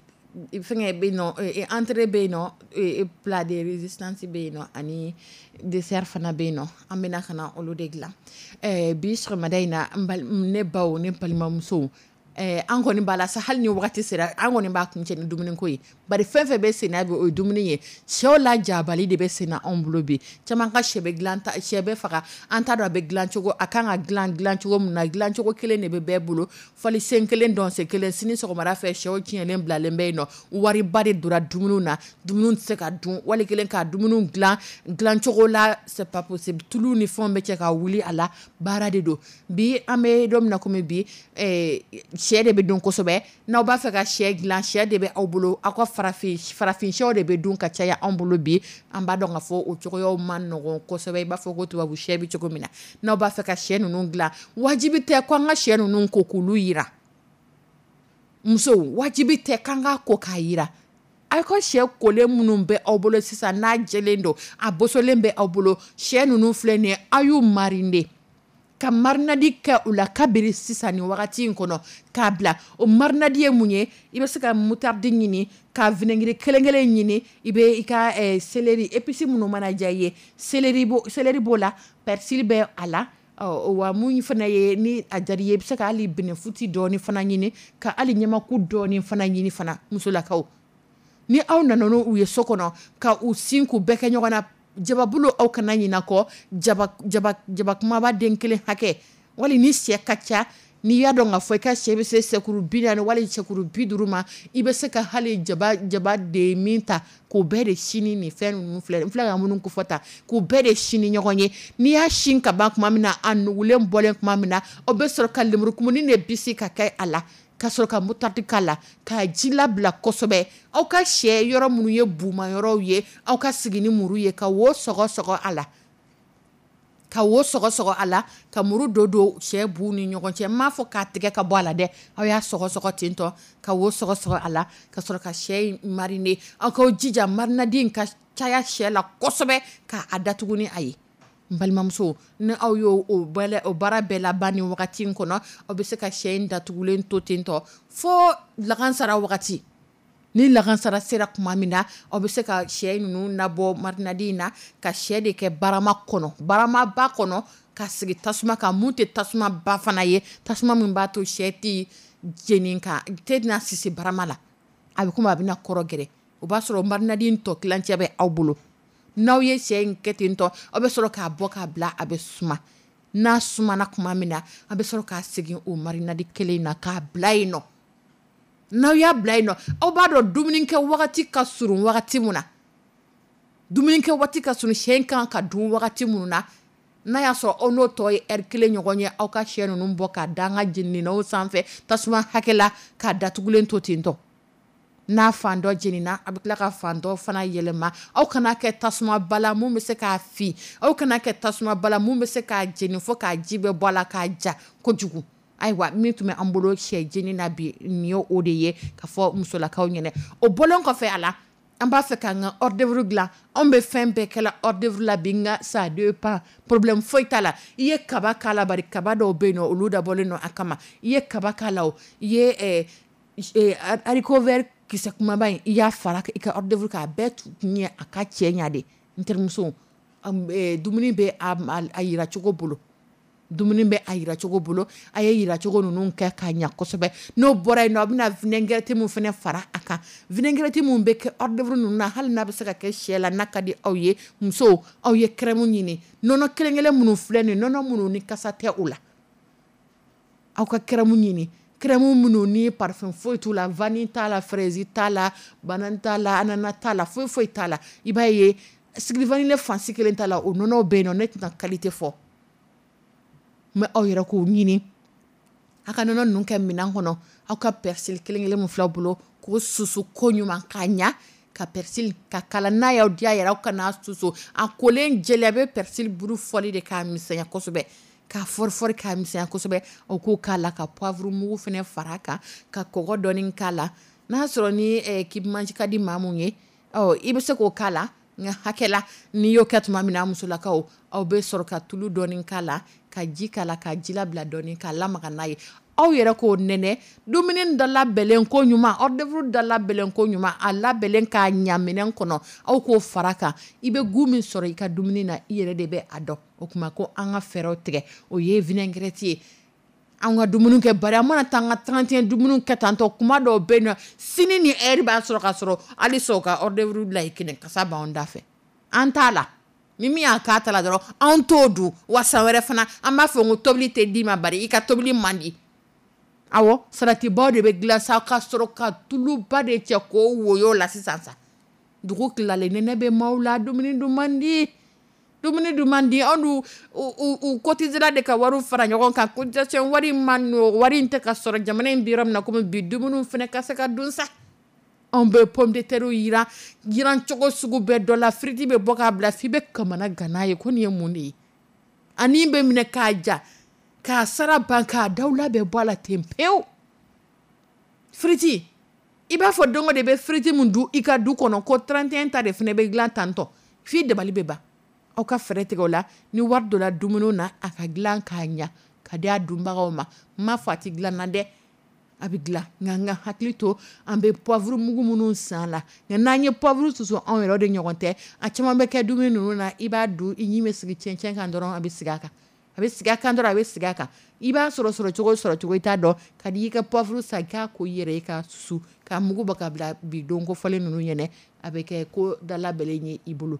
fɛngɛ bɛ yen nɔ, eh, entrée bɛ yen nɔ, eh, plat de résistance bɛ yen nɔ, ani dessert fana bɛ yen nɔ. An bɛna ka na olu de dilan. Eh, bi sɔgɔmada in na, n bal- ne baw ne balimamusow, eh, an kɔni b'a la sa, hali ni wagati sera, an kɔni b'a kuncɛ ni dumuniko ye, bari fɛn fɛn bɛ sen na bi, o ye dumuni ye. Sɛw la jabali de bɛ sen na anw bolo bi. Caman ka sɛ bɛ dilan ta, sɛ bɛ faga, an t'a dɔn a bɛ dilan cogo, a kan ka dilan dilan cogo min na. Dilan cogo kelen de bɛ bɛɛ bolo, fali sen kelen, dɔn sen kelen. Sini sɔgɔmada fɛ, sɛw tiɲɛlen bilalen bɛ yen nɔ. Wariba de donna dumuniw na, dumuniw tɛ se ka dun. Wali kelen ka dumuniw dilan dilan cogo la, c'est pas possible. Tulu ni fɛnw bɛ cɛ ka wuli a la, baara de don. Bi an bɛ don min na komi bi, eh, sɛ de bɛ dun kosɛbɛ. N'aw b'a fɛ ka sɛ dilan, sɛ de bɛ aw bolo, aw ka farafin farafin sɛw de bɛ dun ka caya anw bolo bi. An b'a dɔn k'a fɔ o cogoyaw man nɔgɔn kosɛbɛ, i b'a fɔ ko tubabu sɛ bɛ cogo min na. N'aw b'a fɛ ka sɛ ninnu dilan, wajibi tɛ ko an ka sɛ ninnu ko k'olu yira musow, wajibi tɛ k'an k'a ko k'a yira. Aw ka sɛ kolen minnu bɛ aw bolo sisan, n'a jɛlen don, a bosolen bɛ aw bolo, sɛ ninnu filɛ nin ye, aw y'u mariner. ka marinade kɛ u la kabiri sisan ni wagati in kɔnɔ k'a bila. O marinade ye mun ye? I bɛ se ka moutarde ɲini, ka vinaigre kelen kelen ɲini, i bɛ i ka eh, céleri, épice minnu mana diya i ye, céleri b'o céleri b'o la, persil bɛ a la. Ɔ wa mun fana ye, ni a diyara i ye, i bɛ se ka hali bɛnɛfuti dɔɔni fana ɲini, ka hali ɲamaku dɔɔni fana ɲini fana. Musolakaw, ni aw nana n'u ye so kɔnɔ ka u sin k'u bɛɛ kɛ ɲɔgɔn na, jababulu aw kana ɲinɛ kɔ, jaba jaba jaba kumaba den kelen hakɛ, wali ni sɛ ka ca, n'i y'a dɔn k'a fɔ i ka sɛ bɛ se sɛkuru bi naani wali sɛkuru bi duuru ma, i bɛ se ka hali jaba jaba de min ta k'o bɛɛ de sin ni fɛn ninnu filɛ, n filɛ ka minnu kofɔ ta, k'u bɛɛ de sin ni ɲɔgɔn ye. N'i y'a sin ka ban tuma min na, a nugulen bɔlen tuma min na, aw bɛ sɔrɔ ka lemurukumuni de bisi ka kɛ a la, ka sɔrɔ ka moutarde k'a la, k'a ji labila kosɛbɛ. Aw ka sɛ yɔrɔ minnu ye buma yɔrɔw ye, aw ka sigi ni muru ye ka wo sɔgɔ sɔgɔ a la, ka wo sɔgɔ sɔgɔ a la, ka muru don don sɛ bu ni ɲɔgɔn cɛ. N m'a fɔ k'a tigɛ ka bɔ a la dɛ, aw y'a sɔgɔ sɔgɔ ten tɔ, ka wo sɔgɔ sɔgɔ a la, ka sɔrɔ ka sɛ in mariner. Aw k'aw jija marinade in ka caya sɛ la kosɛbɛ, k'a datugu ni a ye. N balimamuso, ni aw y'o o o baara bɛɛ laban ni wagati in kɔnɔ, aw bɛ se ka sɛ in datugulen to ten tɔ fo lagansara wagati. Ni lagansara sera tuma min na, aw bɛ se ka sɛ ninnu nabɔ marinade in na, ka sɛ de kɛ barama kɔnɔ, baramaba kɔnɔ, ka sigi tasuma kan, mun tɛ tasuma ba fana ye, tasuma min b'a to sɛ tɛ jeni ka tɛ sisi barama la, a bɛ komi a bɛna kɔrɔ gɛrɛ. O b'a sɔrɔ marinade in tɔ tilancɛ bɛ aw bolo. N'aw ye sɛ in kɛ ten tɔ, aw bɛ sɔrɔ k'a bɔ k'a bila, a bɛ suma. N'a sumana tuma min na, a bɛ sɔrɔ k'a segin o marinade kelen in na k'a bila yen nɔ. N'aw y'a bila yen nɔ, aw b'a dɔn dumunikɛ wagati ka surun wagati min na, dumunikɛ waati ka surun, sɛ in kan ka dun wagati minnu na, n'a y'a sɔrɔ aw n'o tɔ ye ɛri kelen ɲɔgɔn ye, aw ka sɛ ninnu bɔ k'a da an ka jenininaw sanfɛ tasuma hakɛ la, k'a datugulen to ten tɔ. N'a fan dɔ jenina, a bɛ tila ka fan dɔ fana yɛlɛma. Aw kana kɛ tasuma ba la mun bɛ se k'a fin, aw kana kɛ tasuma ba la mun bɛ se k'a jeni fo k'a ji bɛɛ bɔ a la k'a ja kojugu. Ayiwa, min tun bɛ an bolo sɛ jeni na bi, nin ye o de ye ka fɔ musolakaw ɲɛna. O bɔlen kɔfɛ a la, an b'a fɛ k'an ka hors d'œuvre dilan. Anw bɛ fɛn bɛɛ kɛla hors d'œuvre la bi, nka ça dépend, problème foyi t'a la. I ye kaba k'a la, bari kaba dɔw bɛ yen nɔ, olu dabɔlen don a kama. I ye kaba k'a la o, i ye haricot vert kisɛ kumaba in, i y'a fara i ka hors d'œuvre k'a bɛɛ tun ye a ka cɛ ɲa de. N terimuso, dumuni bɛ a yira cogo bolo, dumuni bɛ a yira cogo bolo, a ye yiracogo ninnu kɛ k'a ɲa kosɛbɛ. N'o bɔra yen nɔ, a bɛna vinaigrette min fana fara a kan, vinaigrette min bɛ kɛ hors d'œuvre ninnu na, hali n'a bɛ se ka kɛ sɛ la, n'a ka di aw ye. Musow, aw ye crème ɲini, nɔnɔ kelen kelen minnu filɛ nin, nɔnɔ minnu ni kasa tɛ o la, aw ka crème ɲini, crème minnu ni parfum foyi t'u la, vanille t'a la, fraise t'a la, banane t'a la, ananas t'a la, foyi foyi t'a la. I b'a ye sucre vanillé fansi kelen t'a la, o nɔnɔw bɛ yen nɔ, ne tɛna qualité fɔ, mais aw yɛrɛ k'o ɲini, aw ka nɔnɔ ninnu kɛ minɛn kɔnɔ, aw ka persil kelen kelen min filɛ aw bolo, k'o susu ko ɲuman k'a ɲa, ka persil ka kala. N'a y'aw diya yɛrɛ, aw kana susu a kolen jɛlen, a bɛ persil buru fɔli de k'a misɛnya kosɛbɛ, k'a fɔri fɔri k'a misɛnya kosɛbɛ. Aw k'o k'a la, ka poivre mugu fana fara a kan, ka kɔgɔ dɔɔni k'a la. N'a sɔrɔ ni kibmanji ka di maa mun ye, ɔ i bɛ se k'o k'a la, nka hakɛ la. N'i y'o kɛ tuma min na, musolakaw, aw bɛ sɔrɔ ka tulu dɔɔni k'a la, ka ji k'a la, ka ji labila dɔɔni, k'a lamaga n'a ye. Aw yɛrɛ k'o nɛnɛ dumuni da labɛnlen ko ɲuman, hors d'œuvre da labɛnlen ko ɲuman, a labɛnlen k'a ɲa minɛn kɔnɔ, aw k'o fara kan. I bɛ goût min sɔrɔ i ka dumuni na, i yɛrɛ de bɛ a dɔn. O tuma ko an ka fɛɛrɛw tigɛ, o ye vinaigrette ye. An ka dumuni kɛ, bari an mana taa an ka trente et un dumuni kɛ tantɔ, kuma dɔw bɛ yen nɔ, sini ni heure b'a sɔrɔ ka sɔrɔ hali sɔn ka hors d'œuvre bila yen kelen kasa b'anw da fɛ, an t'a la. Ni min y'a k'a ta la dɔrɔn, anw t'o dun. Wa san wɛrɛ fana, an b'a fɔ ko tobili tɛ d'i ma, bari i ka tobili man di. Awɔ, salatibaw de bɛ dilan sa, ka sɔrɔ ka tuluba de cɛ k'o woyo la sisan sa. Dugu tilalen, nɛnɛ bɛ maaw la, dumuni dun man di, dumuni dun man di. Anw dun u u cotisera de ka wariw fara ɲɔgɔn kan, cotisation wari ma nɔ, wari in tɛ ka sɔrɔ jamana in bɛ yɔrɔ min na komi bi, dumuniw fana ka se ka dun sa. Anw bɛ pomme de terre yiran yiran cogo sugu bɛɛ dɔ la, firiti bɛ bɔ k'a bila f'i bɛ kamana gan n'a ye ko nin ye mun de ye. Ani bɛ minɛ k'a ja, k'a sara ban, k'a dawula bɛɛ bɔ a la ten pewu. Firiti, i b'a fɔ don o de bɛ firiti min dun i ka du kɔnɔ, ko trente et un ta de fana bɛ dilan tantɔ, f'i dabali bɛ ban. Aw ka fɛɛrɛ tigɛ o la, ni wari donna dumuni na, a ka dilan k'a ɲa ka di a dunbagaw ma. N m'a fɔ a tɛ dilan na dɛ, a bɛ dilan, nka n ka hakili to an bɛ poivre mugu minnu san la. Nka n'an ye poivre susu anw yɛrɛ de ɲɔgɔn tɛ, a caman bɛ kɛ dumuni ninnu na, i b'a dun, i ɲin bɛ sigi cɛncɛn kan dɔrɔn, a bɛ sigi a kan, a bɛ sigi a kan dɔrɔn, a bɛ sigi a kan. I b'a sɔrɔ sɔrɔ cogo sɔrɔ cogo i t'a dɔn. Ka di i ka poivre san k'a ko i yɛrɛ ye ka susu ka mugu bɔ ka bila bi don ko fɔlen ninnu ɲɛnɛ, a bɛ kɛ ko dalabɛlen ye i bolo.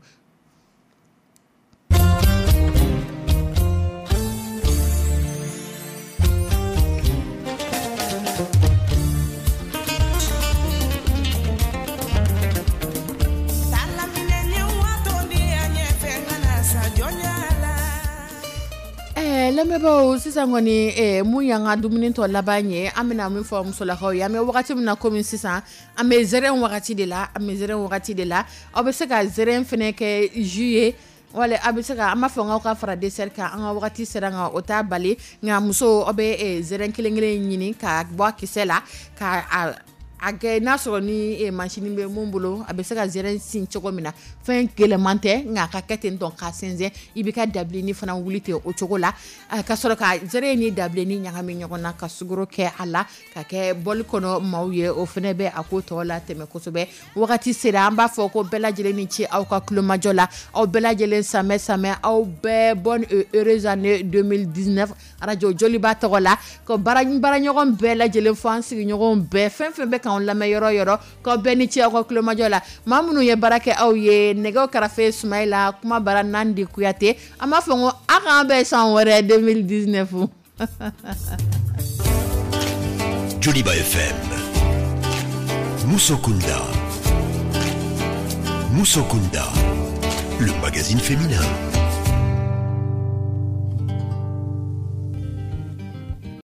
Lamɛnbaaw, sisan kɔni mun y'an ka dumuni tɔ laban ye, an bɛna min fɔ musolakaw ye, an bɛ wagati min na komi sisan, an bɛ zɛrɛn wagati de la, an bɛ zɛrɛn wagati de la. Aw bɛ se ka zɛrɛn fɛnɛ kɛ jus ye, wala a bɛ se ka, an b'a fɔ k'aw ka fara dessert kan, an ka wagati sera nka o t'a bali. Nka muso, aw bɛ zɛrɛn kelen kelen ɲini ka bɔ a kisɛ la, ka a a kɛ n'a sɔrɔ ni machine bɛ mun bolo, a bɛ se ka zɛrɛn sin cogo min na. Fɛn gɛlɛman tɛ, nka a ka kɛ ten tɔ k'a sɛnsɛn. I bɛ ka dabilenni fana wuli ten o cogo la, ka sɔrɔ ka zɛrɛn ni dabilenni ɲagami ɲɔgɔn na, ka sukaro kɛ a la, ka kɛ bɔli kɔnɔ maaw ye. O fana bɛ a ko tɔ la tɛmɛ kosɛbɛ. Wagati sera, an b'a fɔ ko bɛɛ lajɛlen ni ce aw ka tulomajɔ la, aw bɛɛ lajɛlen samɛ samɛ, aw bɛɛ bonne et heureuse année deux mille dix-neuf arajo Joliba tɔgɔ la. Ko baara baaraɲɔgɔn bɛɛ lajɛlen fo, an sigiɲɔgɔnw bɛɛ, fɛn fɛn bɛ k'anw lamɛn yɔrɔ yɔrɔ, k'aw bɛɛ ni ce aw ka tulomajɔ la. Maa minnu ye baara kɛ aw ye, nɛgɛw karafe Sumayila, kuma bara Nandi Kuyate, an b'a fɔ ko a k'an bɛn san wɛrɛ deux mille dix-neuf. Joliba F M, Musokunda, Musokunda, le magazine féminin.